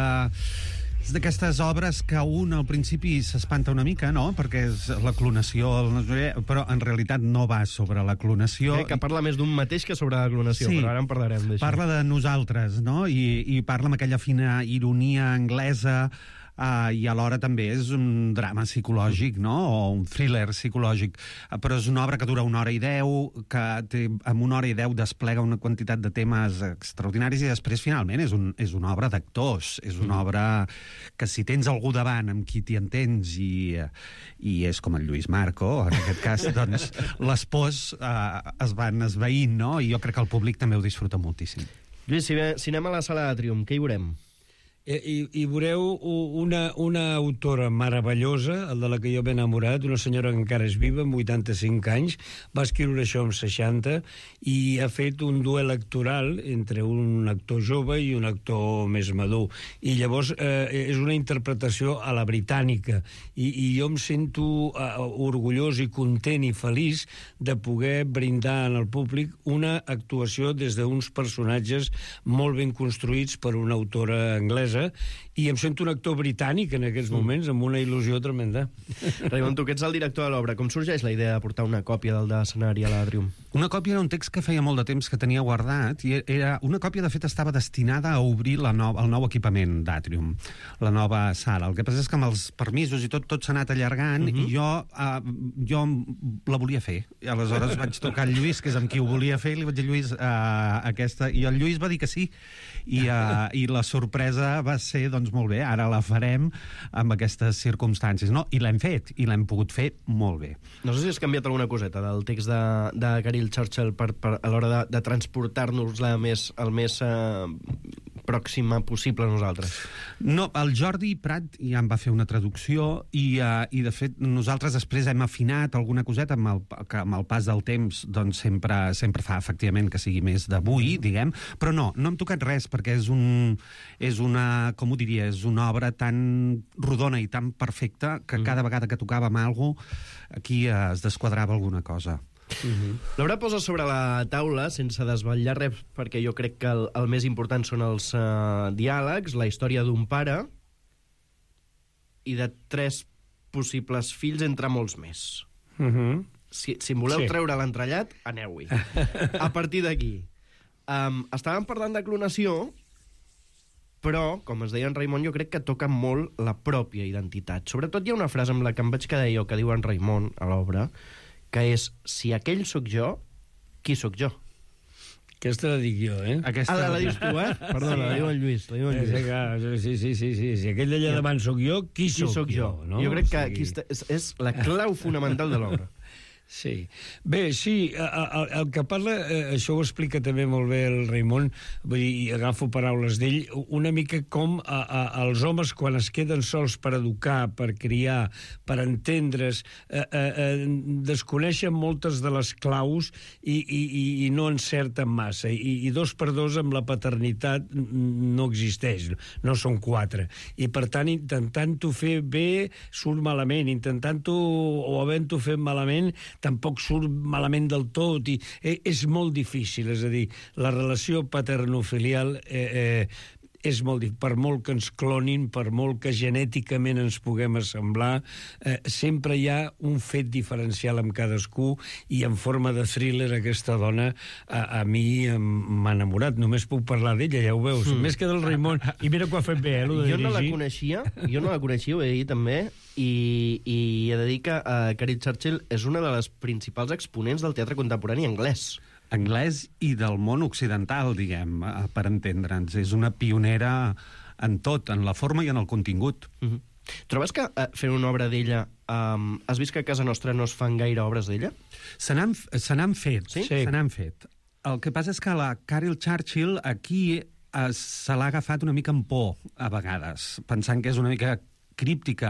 És d'aquestes obres que un al principi s'espanta una mica, no? Perquè és la clonació, però en realitat no va sobre la clonació. Crec que parla més d'un mateix que sobre la clonació, sí, però ara en parlarem d'això. Parla de nosaltres, no? I, i parla amb aquella fina ironia anglesa, Uh, i alhora també és un drama psicològic, no? O un thriller psicològic. Uh, però és una obra que dura una hora i deu, que té, amb una hora i deu desplega una quantitat de temes extraordinaris, i després, finalment, és, un, és una obra d'actors. És una obra que, si tens algú davant amb qui t'hi entens, i, i és com el Lluís Marco, en aquest cas, doncs les pors uh, es van esveint, no? I jo crec que el públic també ho disfruta moltíssim. Lluís, si, ve, si anem a la Sala Atrium, què hi veurem? I, i veureu una, una autora meravellosa, el de la que jo m'he enamorat, una senyora que encara és viva, amb vuitanta-cinc anys, va escriure això amb seixanta, i ha fet un duel actoral entre un actor jove i un actor més madur. I llavors eh, és una interpretació a la britànica, i, i jo em sento eh, orgullós i content i feliç de poder brindar al públic una actuació des d'uns personatges molt ben construïts per una autora anglesa, i em sento un actor britànic en aquests moments, amb una il·lusió tremenda. Raimon, tu que ets el director de l'obra, com sorgeix la idea de portar una còpia del d'escenari a l'Atrium? Una còpia era un text que feia molt de temps que tenia guardat, i era una còpia, de fet, estava destinada a obrir la no, el nou equipament d'Atrium, la nova sala. El que passa és que amb els permisos i tot, tot s'ha anat allargant, uh-huh. i jo, uh, jo la volia fer. I aleshores vaig tocar el Lluís, que és amb qui ho volia fer, i li vaig dir, Lluís, uh, aquesta... I el Lluís va dir que sí, i, uh, i la sorpresa va ser, doncs, molt bé, ara la farem amb aquestes circumstàncies, no? I l'hem fet, i l'hem pogut fer molt bé. No sé si has canviat alguna coseta del text de, de Carol Churchill per, per, a l'hora de, de transportar-nos-la més, el més eh, pròxima possible a nosaltres. No, el Jordi Prat ja en va fer una traducció, i, uh, i de fet nosaltres després hem afinat alguna coseta amb el, que amb el pas del temps doncs sempre, sempre fa efectivament que sigui més d'avui, diguem, però no, no hem tocat res, perquè és, un, és una, com ho diria, és una obra tan rodona i tan perfecta que mm. cada vegada que tocàvem alguna cosa, aquí uh, es desquadrava alguna cosa. Uh-huh. L'obra posa sobre la taula, sense desvetllar res, perquè jo crec que el, el més important són els uh, diàlegs, la història d'un pare i de tres possibles fills, entre molts més. Uh-huh. Si, si em voleu sí. treure l'entrellat, aneu-hi. A partir d'aquí. Um, estàvem parlant de clonació, però, com es deia en Raimon, jo crec que toca molt la pròpia identitat. Sobretot hi ha una frase amb la que em vaig quedar jo, que diu en Raimon a l'obra, que és, si aquell sóc jo, qui sóc jo? Aquesta la dic jo, eh? Aquesta... Ah, la, la dius tu, eh? Perdona, sí, la diu en Lluís. La diu en Lluís. Sí, sí, sí, sí. Si aquell d'allà davant sóc jo, qui, qui sóc, sóc jo? jo no? Jo crec que o sigui... aquí és, és la clau fonamental de l'obra. Sí. Bé, sí, el, el que parla, això ho explica també molt bé el Raimon, vull dir, i agafo paraules d'ell, una mica com a, a, els homes quan es queden sols per educar, per criar, per entendre's, eh, eh, desconeixen moltes de les claus i, i, i no encerten massa, I, i dos per dos amb la paternitat no existeix, no són quatre, i per tant intentant-ho fer bé surt malament, intentant-ho o havent-ho fet malament tampoc surt malament del tot, i eh, és molt difícil, és a dir, la relació paterno-filial eh, eh, és molt difícil. Per molt que ens clonin, per molt que genèticament ens puguem assemblar, eh, sempre hi ha un fet diferencial amb cadascú, i en forma de thriller aquesta dona a, a mi m'ha enamorat. Només puc parlar d'ella, ja ho veus. Mm. Més que del Raimon. I mira que ho ha fet bé, eh, lo de jo dirigir. no la coneixia, jo no la coneixia, ho he de dir també, i, i he de dir que uh, Carol Churchill és una de les principals exponents del teatre contemporani anglès. Anglès i del món occidental, diguem, per entendre'ns. És una pionera en tot, en la forma i en el contingut. Mm-hmm. Trobes que uh, fent una obra d'ella, um, has vist que a casa nostra no es fan gaire obres d'ella? Se n'han fet, sí? Se n'han fet. El que passa és que la Carol Churchill aquí eh, se l'ha agafat una mica en por, a vegades, pensant que és una mica críptica.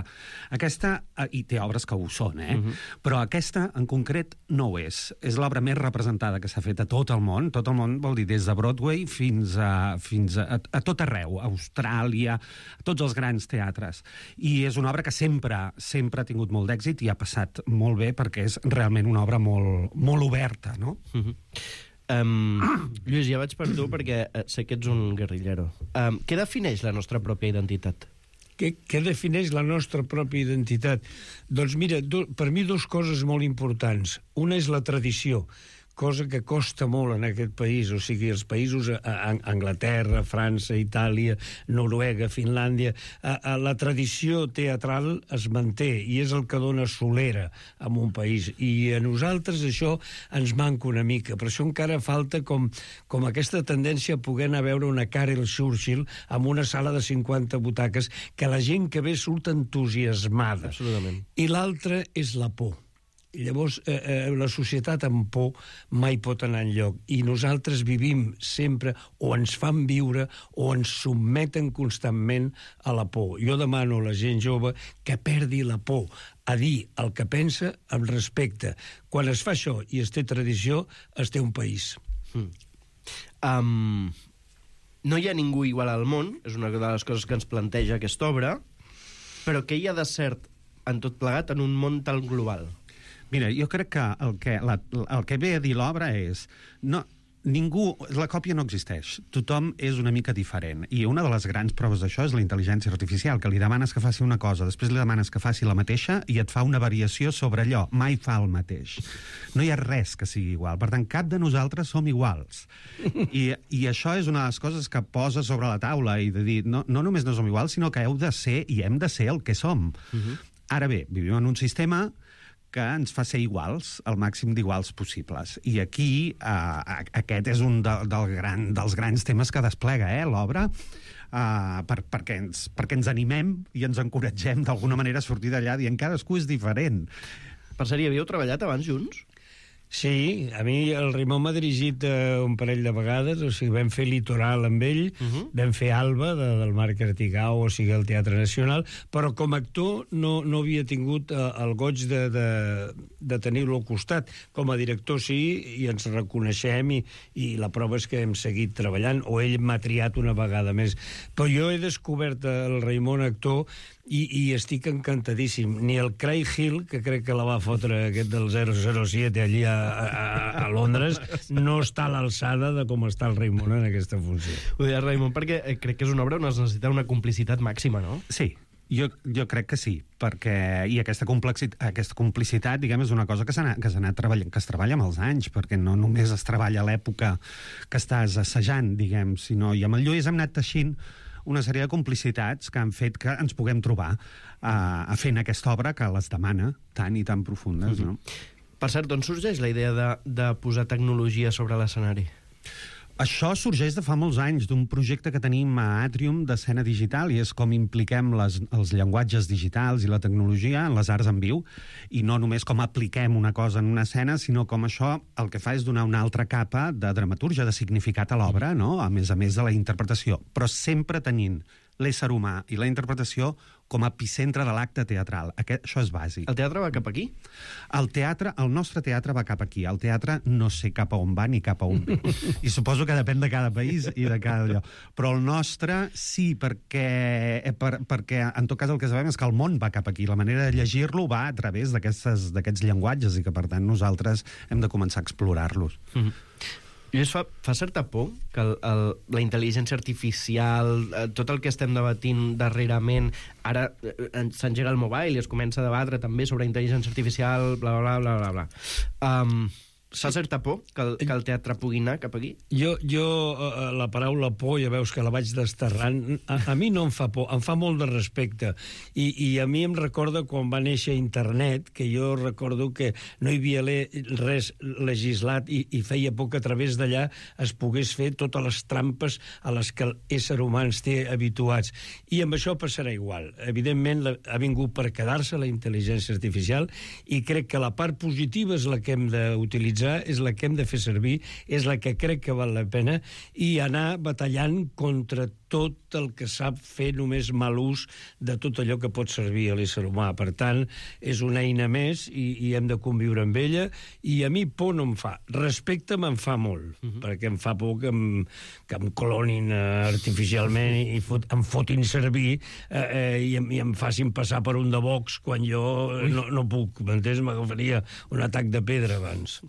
Aquesta, i té obres que ho són, eh? Uh-huh. Però aquesta, en concret, no ho és. És l'obra més representada que s'ha fet a tot el món. Tot el món vol dir des de Broadway fins a, fins a, a tot arreu, a Austràlia, a tots els grans teatres. I és una obra que sempre, sempre ha tingut molt d'èxit i ha passat molt bé perquè és realment una obra molt, molt oberta, no? Uh-huh. Um, Lluís, ja vaig per tu perquè sé que ets un guerrillero. Um, què defineix la nostra pròpia identitat? Què, què defineix la nostra pròpia identitat? Doncs mira, do, per mi dues coses molt importants. Una és la tradició, cosa que costa molt en aquest país, o sigui, els països, a, a Anglaterra, França, Itàlia, Noruega, Finlàndia, a, a la tradició teatral es manté i és el que dona solera en un país, i a nosaltres això ens manca una mica, per això encara falta com, com aquesta tendència a poder anar a veure una Carol Churchill amb una sala de cinquanta butaques, que la gent que ve surt entusiasmada. Absolutament. I l'altra és la por. I llavors, eh, eh, la societat amb por mai pot anar enlloc. I nosaltres vivim sempre, o ens fan viure, o ens sotmeten constantment a la por. Jo demano a la gent jove que perdi la por, a dir el que pensa amb respecte. Quan es fa això i es té tradició, es té un país. Mm. Um, no hi ha ningú igual al món, és una de les coses que ens planteja aquesta obra, però què hi ha de cert en tot plegat en un món tan global? Mira, jo crec que el que, la, el que ve a dir l'obra és... No, ningú... La còpia no existeix. Tothom és una mica diferent. I una de les grans proves d'això és la intel·ligència artificial, que li demanes que faci una cosa, després li demanes que faci la mateixa i et fa una variació sobre allò. Mai fa el mateix. No hi ha res que sigui igual. Per tant, cap de nosaltres som iguals. I, i això és una de les coses que posa sobre la taula i de dir, no, no només no som iguals, sinó que heu de ser i hem de ser el que som. Uh-huh. Ara bé, vivim en un sistema que ens fa ser iguals, el màxim d'iguals possibles. I aquí eh, aquest és un de, del gran, dels grans temes que desplega eh, l'obra, eh, per, perquè, ens, perquè ens animem i ens encoratgem d'alguna manera a sortir d'allà dient cadascú és diferent. Per cert, hi havíeu treballat abans junts? Sí, a mi el Raimon m'ha dirigit uh, un parell de vegades, o sigui, vam fer Litoral amb ell, uh -huh. vam fer Alba, de, del Marc Artigau, o sigui, el Teatre Nacional, però com a actor no, no havia tingut uh, el goig de, de, de tenir-lo al costat. Com a director sí, i ens reconeixem, i, i la prova és que hem seguit treballant, o ell m'ha triat una vegada més. Però jo he descobert el Raimon actor i, i estic encantadíssim. Ni el Craig Hill, que crec que la va fotre aquest del zero zero siete allí a, a, a Londres, no està a l'alçada de com està el Raimon en aquesta funció. Ho deia Raimon perquè crec que és una obra on es necessita una complicitat màxima, no? Sí, jo, jo crec que sí, perquè i aquesta, aquesta complicitat, diguem, és una cosa que s'ha que s'ha anat treballant, que es treballa amb els anys, perquè no només es treballa a l'època que estàs assajant, diguem, sinó, i amb el Lluís hem anat teixint una sèrie de complicitats que han fet que ens puguem trobar a, a fent aquesta obra que les demana tan i tan profundes, no? Per cert, d'on sorgeix la idea de, de posar tecnologia sobre l'escenari? Això sorgeix de fa molts anys, d'un projecte que tenim a Atrium d'escena digital, i és com impliquem les, els llenguatges digitals i la tecnologia en les arts en viu, i no només com apliquem una cosa en una escena, sinó com això el que fa és donar una altra capa de dramaturgia, de significat a l'obra, no? A més a més de la interpretació, però sempre tenint l'ésser humà i la interpretació com a epicentre de l'acte teatral. Aquest, això és bàsic. El teatre va cap aquí? El teatre, el nostre teatre va cap aquí. El teatre no sé cap a on va ni cap a on ve. I suposo que depèn de cada país i de cada lloc. Però el nostre sí, perquè, per, perquè en tot cas el que sabem és que el món va cap aquí. La manera de llegir-lo va a través d'aquests llenguatges i que, per tant, nosaltres hem de començar a explorar-los. Mm-hmm. Lluís, fa, fa certa por que el, el, la intel·ligència artificial, eh, tot el que estem debatint darrerament, ara eh, s'engega el mobile i es comença a debatre també sobre intel·ligència artificial, bla, bla, bla, bla, bla. Um, fa certa por que el, que el teatre pugui anar cap aquí? Jo, jo eh, la paraula por, ja veus que la vaig desterrant, a, a mi no em fa por, em fa molt de respecte. I, I a mi em recorda quan va néixer internet, que jo recordo que no hi havia le, res legislat i, i feia por que a través d'allà es pogués fer totes les trampes a les que l'ésser humà ens té habituats. I amb això passarà igual. Evidentment, la, ha vingut per quedar-se la intel·ligència artificial i crec que la part positiva és la que hem d'utilitzar, és la que hem de fer servir, és la que crec que val la pena, i anar batallant contra tot el que sap fer només mal ús de tot allò que pot servir a l'ésser humà. Per tant, és una eina més i, i hem de conviure amb ella, i a mi por no em fa. Respecte me'n fa molt, uh -huh. perquè em fa por que em, que em clonin uh, artificialment i fot, em fotin servir uh, uh, i, em, i em facin passar per un de Vox quan jo no, no puc, m'entens? M'agafaria un atac de pedra abans.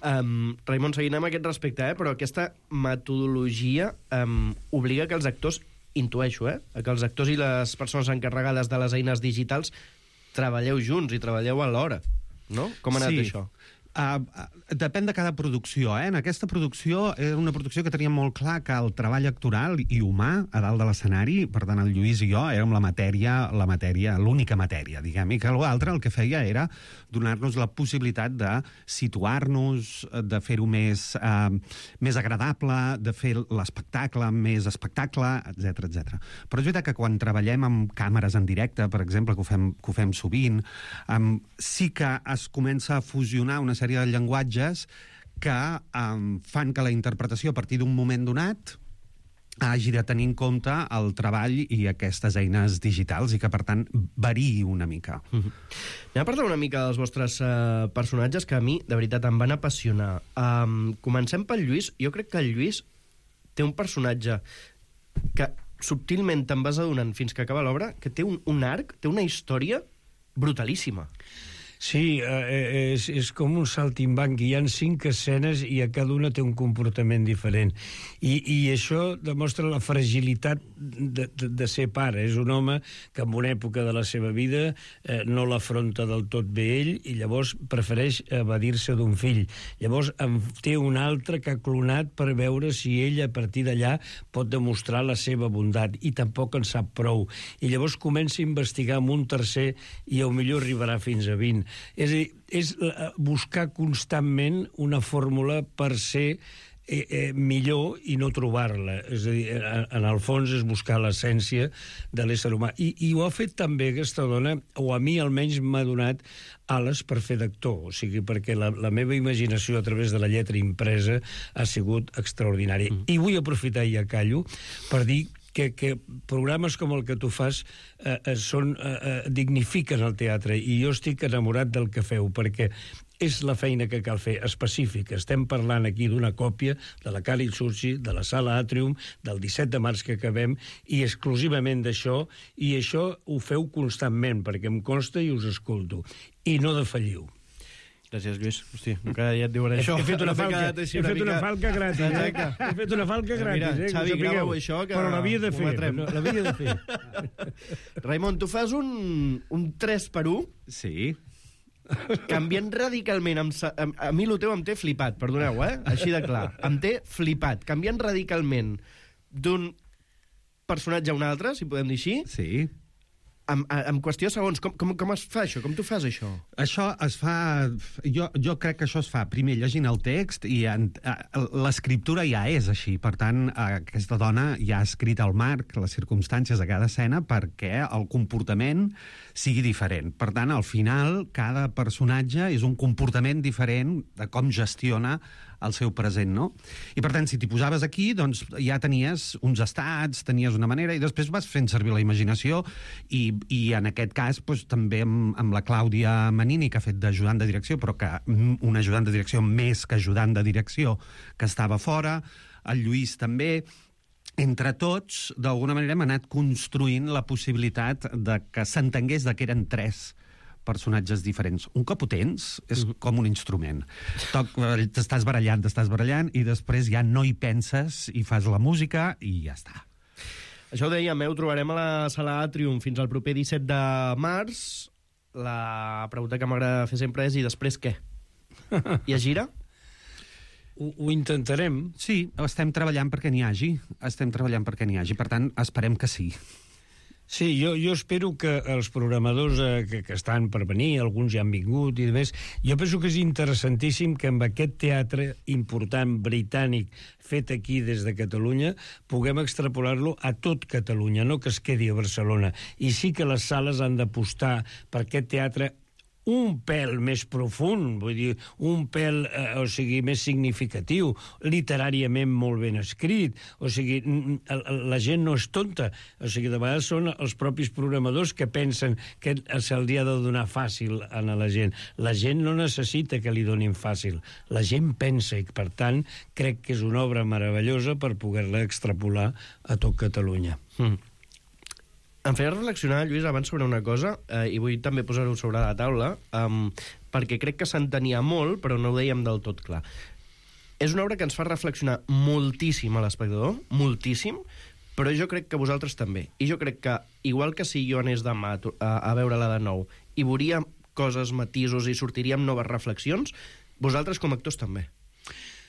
Um, Raimon, seguint amb aquest respecte, eh? Però aquesta metodologia um, obliga que els actors, intueixo, eh? que els actors i les persones encarregades de les eines digitals treballeu junts i treballeu alhora, no? Com ha anat sí. això? Uh, depèn de cada producció, eh? En aquesta producció era una producció que tenia molt clar que el treball actoral i humà a dalt de l'escenari, per tant el Lluís i jo érem la matèria, la matèria, l'única matèria, diguem, i que l'altre el que feia era donar-nos la possibilitat de situar-nos, de fer-ho més, uh, més agradable, de fer l'espectacle més espectacle, etcètera, etcètera. Però és veritat que quan treballem amb càmeres en directe, per exemple, que ho fem, que ho fem sovint, um, sí que es comença a fusionar una sèrie de llenguatges que um, fan que la interpretació a partir d'un moment donat hagi de tenir en compte el treball i aquestes eines digitals i que, per tant, variï una mica. Mm-hmm. Anem a parlar una mica dels vostres uh, personatges que a mi, de veritat, em van apassionar. Um, comencem pel Lluís. Jo crec que el Lluís té un personatge que subtilment te'n vas adonant fins que acaba l'obra, que té un, un arc, té una història brutalíssima. Sí, eh, és, és com un saltimbanc. Hi ha cinc escenes i a cada una té un comportament diferent. I, i això demostra la fragilitat de, de, de ser pare. És un home que en una època de la seva vida eh, no l'afronta del tot bé ell i llavors prefereix evadir-se d'un fill. Llavors en té un altre que ha clonat per veure si ell a partir d'allà pot demostrar la seva bondat i tampoc en sap prou. I llavors comença a investigar amb un tercer i potser arribarà fins a vint. És a dir, és buscar constantment una fórmula per ser eh, eh, millor i no trobar-la. És a dir, en el fons és buscar l'essència de l'ésser humà. I, I ho ha fet també aquesta dona, o a mi almenys m'ha donat ales per fer d'actor, o sigui, perquè la, la meva imaginació a través de la lletra impresa ha sigut extraordinària. Mm. I vull aprofitar, i ja callo, per dir Que, que programes com el que tu fas eh, eh, són, eh, dignifiquen el teatre, i jo estic enamorat del que feu, perquè és la feina que cal fer, específica. Estem parlant aquí d'una còpia de la Càlid Sursi, de la Sala Àtrium, del disset de març que acabem, i exclusivament d'això, i això ho feu constantment, perquè em consta i us escolto. I no defalliu. Gràcies, Lluís. Hosti, cada dia et diuen això. He fet una falca, he fet una falca gratis, eh? He fet una falca gratis, eh? Xavi, grava-ho això, que però l'havia de fer. L'havia de fer. Raimon, tu fas un, un tres per u. Sí. Canviant radicalment. Amb, a, a mi el teu em té flipat, perdoneu, eh? Així de clar. Em té flipat. Canviant radicalment d'un personatge a un altre, si podem dir així. Sí. En, en qüestió de segons, com, com, com es fa això? Com tu fas això? Això es fa... Jo, jo crec que això es fa primer llegint el text i en, l'escriptura ja és així. Per tant, aquesta dona ja ha escrit el marc, les circumstàncies de cada escena perquè el comportament sigui diferent. Per tant, al final, cada personatge és un comportament diferent de com gestiona el seu present, no? I, per tant, si t'hi posaves aquí, doncs ja tenies uns estats, tenies una manera, i després vas fent servir la imaginació, i, i en aquest cas, doncs, també amb, amb la Clàudia Manini, que ha fet d'ajudant de direcció, però que un ajudant de direcció més que ajudant de direcció, que estava fora, el Lluís també. Entre tots, d'alguna manera, hem anat construint la possibilitat de que s'entengués de que eren tres personatges diferents. Un cop ho tens, és mm. com un instrument. Toc, t'estàs barallant, t'estàs barallant, i després ja no hi penses i fas la música i ja està. Això ho dèiem, eh? Ho trobarem a la Sala Atrium fins al proper disset de març. La pregunta que m'agrada fer sempre és: i després què? Hi ha gira? Ho, ho intentarem. Sí, estem treballant perquè n'hi hagi. Estem treballant perquè n'hi hagi. Per tant, esperem que sí. Sí, jo, jo espero que els programadors eh, que, que estan per venir, alguns ja han vingut i demés, jo penso que és interessantíssim que amb aquest teatre important britànic fet aquí des de Catalunya puguem extrapolar-lo a tot Catalunya, no que es quedi a Barcelona. I sí que les sales han d'apostar per aquest teatre un pèl més profund, vull dir, un pèl, eh, o sigui, més significatiu, literàriament molt ben escrit, o sigui, la gent no és tonta, o sigui, de vegades són els propis programadors que pensen que se'ls ha de donar fàcil a la gent. La gent no necessita que li donin fàcil, la gent pensa, i per tant, crec que és una obra meravellosa per poder-la extrapolar a tot Catalunya. Mm. Em feia reflexionar, Lluís, abans sobre una cosa, eh, i vull també posar-ho sobre la taula, um, perquè crec que s'entenia molt, però no ho dèiem del tot clar. És una obra que ens fa reflexionar moltíssim a l'espectador, moltíssim, però jo crec que vosaltres també. I jo crec que, igual que si jo anés demà a, a veure-la de nou i veuria coses, matisos, i sortiria amb noves reflexions, vosaltres com a actors també.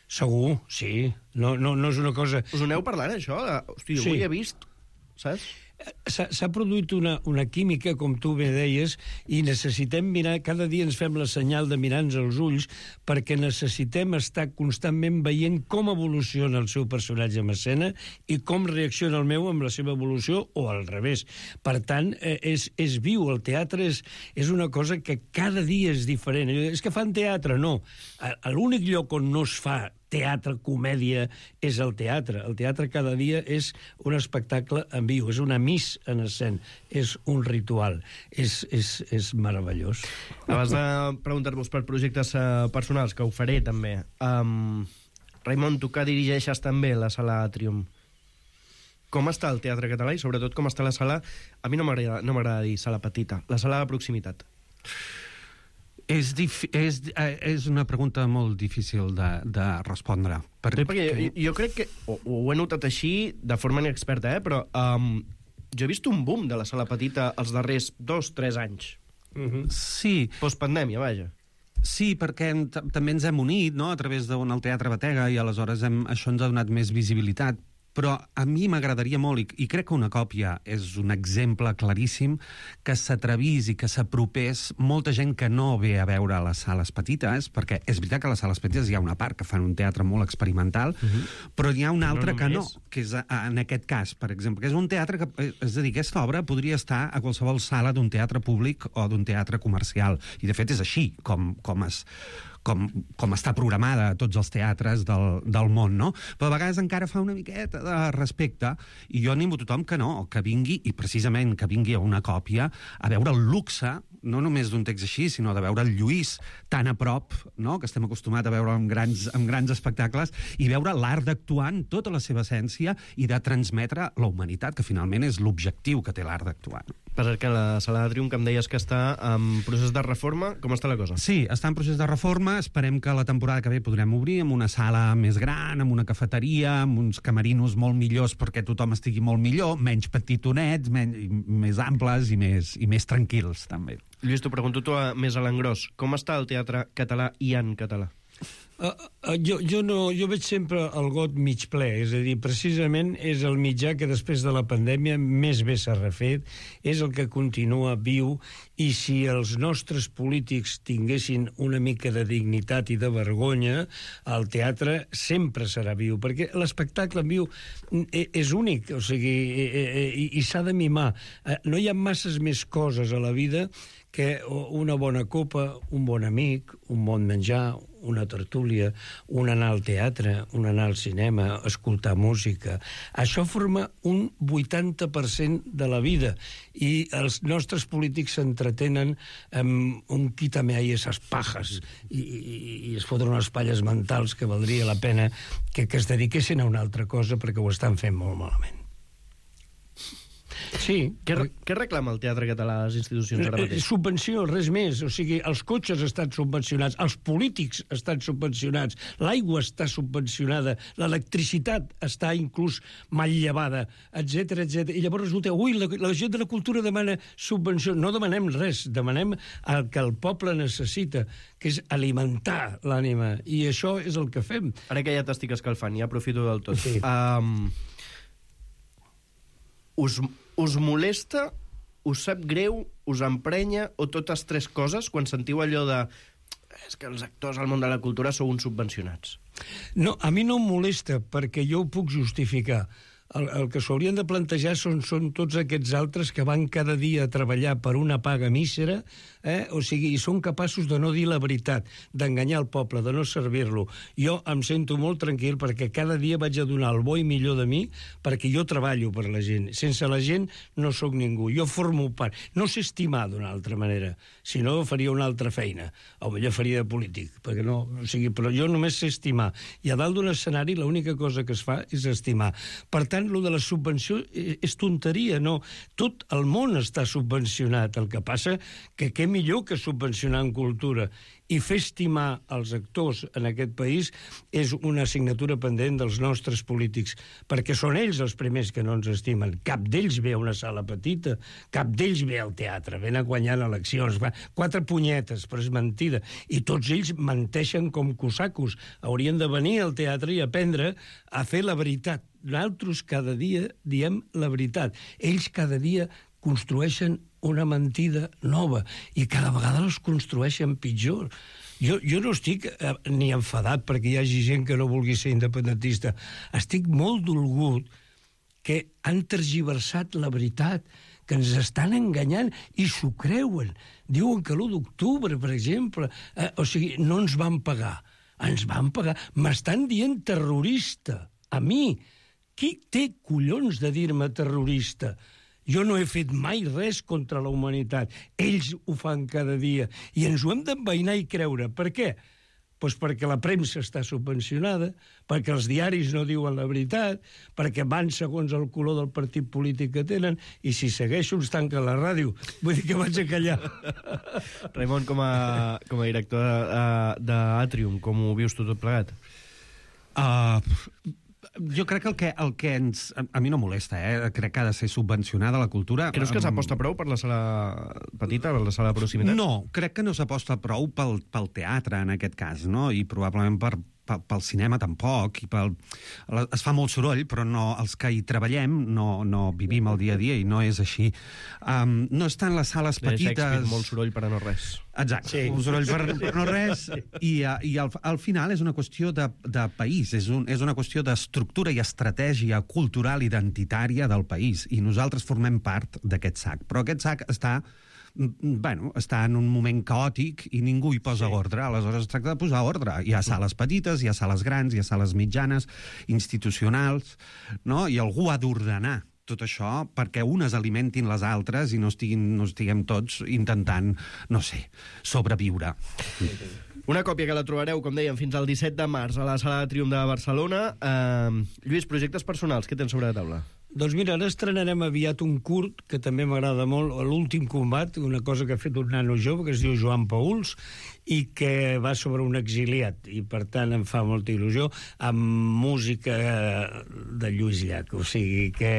Segur, sí. No, no, no és una cosa... Us aneu parlant, això? De, hosti, jo sí. ho he vist, saps? S'ha produït una, una química, com tu bé deies, i necessitem mirar, cada dia ens fem la senyal de mirar-nos als ulls, perquè necessitem estar constantment veient com evoluciona el seu personatge en escena i com reacciona el meu amb la seva evolució, o al revés. Per tant, és, és viu, el teatre és, és una cosa que cada dia és diferent. És que fan teatre, no. L'únic lloc on no es fa teatre, comèdia, és el teatre. El teatre cada dia és un espectacle en viu, és una miss en escena, és un ritual, és, és, és meravellós. Abans de preguntar-vos per projectes uh, personals, que ho faré també, um, Raimon, tu que dirigeixes també la Sala Atrium, com està el teatre català i sobretot com està la sala, a mi no m'agrada no m'agrada dir sala petita, la sala de proximitat? És, és, és una pregunta molt difícil de, de respondre. Per... Sí, perquè jo, jo crec que, ho, ho he notat així de forma inexperta, eh? però um, jo he vist un boom de la sala petita els darrers dos, tres anys. Uh-huh. Sí. Postpandèmia, vaja. Sí, perquè també ens hem unit, no?, a través d'on el Teatre Batega, i aleshores hem, això ens ha donat més visibilitat. Però a mi m'agradaria molt, i, i crec que una còpia és un exemple claríssim, que s'atrevís i que s'apropés molta gent que no ve a veure les sales petites, perquè és veritat que a les sales petites hi ha una part que fan un teatre molt experimental, uh-huh. però hi ha una altra no que no, que és a, a, en aquest cas, per exemple, que és un teatre que, és a dir, aquesta obra podria estar a qualsevol sala d'un teatre públic o d'un teatre comercial, i de fet és així com, com es... Com, com està programada a tots els teatres del, del món, no? Però a vegades encara fa una miqueta de respecte, i jo animo a tothom que no, que vingui, i precisament que vingui a una còpia, a veure el luxe, no només d'un text així, sinó de veure el Lluís tan a prop, no?, que estem acostumats a veure en grans, en grans espectacles, i veure l'art d'actuar en tota la seva essència i de transmetre la humanitat, que finalment és l'objectiu que té l'art d'actuar. Perquè la Sala Atrium, que em deies que està en procés de reforma, com està la cosa? Sí, està en procés de reforma. Esperem que la temporada que ve podrem obrir amb una sala més gran, amb una cafeteria, amb uns camerinos molt millors perquè tothom estigui molt millor, menys petitonets, menys, més amples i més, i més tranquils, també. Lluís, t'ho pregunto tu a, més a l'engròs. Com està el teatre català i en català? Uh, uh, jo, jo, no, jo veig sempre el got mig ple, és a dir, precisament és el mitjà que després de la pandèmia més bé s'ha refet, és el que continua viu, i si els nostres polítics tinguessin una mica de dignitat i de vergonya, el teatre sempre serà viu, perquè l'espectacle en viu és únic, o sigui, i, i s'ha de mimar. No hi ha masses més coses a la vida que una bona copa, un bon amic, un bon menjar, una tertúlia, un anar al teatre, un anar al cinema, escoltar música. Això forma un vuitanta per cent de la vida, i els nostres polítics s'entretenen amb un quítame ahí esas pajas i, i, i es foten unes palles mentals que valdria la pena que, que es dediquessin a una altra cosa, perquè ho estan fent molt malament. Sí. Què, què reclama el teatre català a les institucions ara mateix? Subvenció, res més. O sigui, els cotxes estan subvencionats, els polítics estan subvencionats, l'aigua està subvencionada, l'electricitat està inclús mal llevada, etcètera, etcètera. I llavors resulta, ui, la, la gent de la cultura demana subvenció. No demanem res, demanem el que el poble necessita, que és alimentar l'ànima. I això és el que fem. Ara que ja t'estic escalfant, ja aprofito del tot. Sí. Um, us, us molesta, us sap greu, us emprenya, o totes tres coses, quan sentiu allò de és que els actors al món de la cultura sou uns subvencionats? No, a mi no em molesta, perquè jo ho puc justificar. El, el que s'haurien de plantejar són, són tots aquests altres que van cada dia a treballar per una paga mísera, eh? O sigui, i són capaços de no dir la veritat, d'enganyar el poble, de no servir-lo. Jo em sento molt tranquil perquè cada dia vaig a donar el bo i millor de mi, perquè jo treballo per la gent. Sense la gent no sóc ningú. Jo formo part. No sé estimar d'una altra manera, si no faria una altra feina, o millor faria de polític, perquè no, o sigui, però jo només sé estimar. I a dalt d'un escenari l'única cosa que es fa és estimar. Per tant, lo de la subvenció és tonteria, no? Tot el món està subvencionat. El que passa que què millor que subvencionar en cultura. I fer estimar els actors en aquest país és una assignatura pendent dels nostres polítics, perquè són ells els primers que no ens estimen. Cap d'ells ve a una sala petita, cap d'ells ve al teatre, ven a guanyar eleccions, quatre punyetes, però és mentida. I tots ells menteixen com cosacos. Haurien de venir al teatre i aprendre a fer la veritat. Nosaltres cada dia diem la veritat. Ells cada dia construeixen una mentida nova i cada vegada els construeixen pitjor. Jo, jo no estic eh, ni enfadat perquè hi hagi gent que no vulgui ser independentista. Estic molt dolgut que han tergiversat la veritat, que ens estan enganyant i s'ho creuen. Diuen que l'u d'octubre, per exemple, eh, o sigui, no ens van pagar. Ens van pagar. M'estan dient terrorista. A mi. Qui té collons de dir-me terrorista? Jo no he fet mai res contra la humanitat. Ells ho fan cada dia. I ens ho hem d'envainar i creure. Per què? Pues perquè la premsa està subvencionada, perquè els diaris no diuen la veritat, perquè van segons el color del partit polític que tenen, i si segueixo ens tanquen la ràdio. Vull dir que vaig a callar. Raimon, com a, com a director d'Atrium, com ho vius tu tot plegat? Uh, jo crec que el que, el que ens... A mi no molesta, eh? Crec que ha de ser subvencionada la cultura. Creus que s'aposta prou per la sala petita, per la sala de proximitat? No, crec que no s'aposta prou pel, pel teatre, en aquest cas, no? I probablement per, pel, pel cinema tampoc. I pel... Es fa molt soroll, però no, els que hi treballem no, no vivim el dia a dia i no és així. Um, no estan les sales petites... Shakespeare, molt soroll per a no res. Exacte, sí. Un soroll per, per no res, i, i al, al final és una qüestió de, de país, és, un, és una qüestió d'estructura i estratègia cultural identitària del país, i nosaltres formem part d'aquest sac. Però aquest sac està, bueno, està en un moment caòtic i ningú hi posa sí. ordre, aleshores es tracta de posar ordre. Hi ha sales petites, hi ha sales grans, hi ha sales mitjanes, institucionals, no? I algú ha d'ordenar tot això perquè unes alimentin les altres i no, estiguin, no estiguem tots intentant, no sé, sobreviure. Una còpia que la trobareu, com dèiem, fins al disset de març a la Sala de Triomf de Barcelona. Uh, Lluís, projectes personals, què tens sobre la taula? Doncs mira, ara estrenarem aviat un curt que també m'agrada molt, l'últim combat, una cosa que ha fet un nano jove que es diu Joan Pauls i que va sobre un exiliat i per tant em fa molta il·lusió, amb música de Lluís Llach, o sigui que,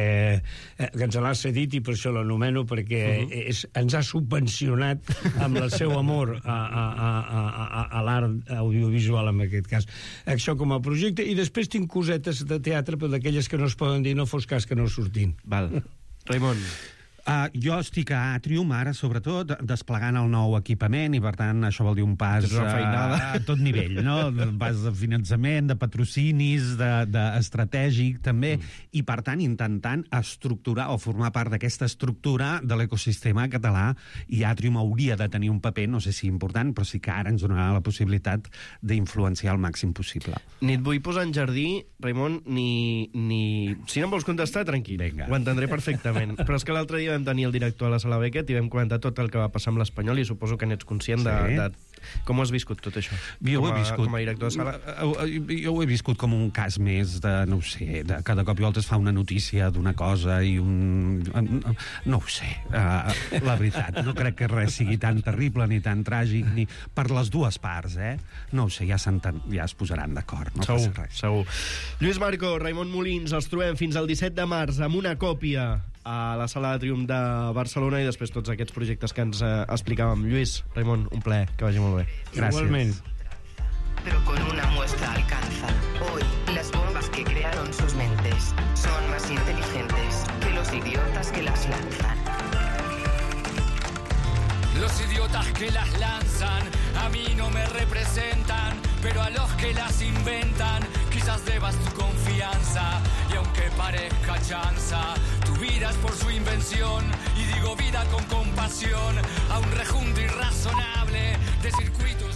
que ens l'ha cedit i per això l'anomeno, perquè uh-huh. és, ens ha subvencionat amb el seu amor a, a, a, a, a l'art audiovisual en aquest cas. Això com a projecte, i després tinc cosetes de teatre, però d'aquelles que no es poden dir, no fos cas que no surtin. Val. Raimon. Uh, jo estic a Atrium ara, sobretot, desplegant el nou equipament i, per tant, això vol dir un pas uh, a tot nivell, no? Un pas de finançament, de patrocinis, d'estratègic, de, també, mm. i, per tant, intentant estructurar o formar part d'aquesta estructura de l'ecosistema català, i Atrium hauria de tenir un paper, no sé si important, però sí que ara ens donarà la possibilitat d'influenciar el màxim possible. Ni et vull posar en jardí, Raimon, ni... ni... Si no em vols contestar, tranquil. Venga. Ho entendré perfectament. Però és que l'altre dia vam tenir el director a la Sala Beckett i vam comentar tot el que va passar amb l'Espanyol i suposo que n'ets conscient sí. de, de Com ho has viscut tot això? Jo com, ho he a, viscut. com a director de sala? Jo ho he viscut com un cas més de, no ho sé, de cada cop i volta es fa una notícia d'una cosa i un... No ho sé, uh, la veritat. No crec que res sigui tan terrible ni tan tràgic, ni per les dues parts, eh? No ho sé, ja, ja es posaran d'acord, no segur, passa res. Segur. Lluís Marco, Raimon Molins, els trobem fins al disset de març amb una còpia a la Sala de Triomf de Barcelona i després tots aquests projectes que ens eh, explicàvem. Lluís, Raimon, un plaer, que vagi molt bé. Gràcies. Igualment. Pero con una muestra alcanza. Hoy, las bombas que crearon sus mentes son más inteligentes que los idiotas que las lanzan. Los idiotas que las lanzan a mí no me representan, pero a los que las inventan quizás debas tu confianza. Y aunque parezca chanza, tu vida es por su invención, y digo vida con compasión a un rejunto irrazonable de circuitos.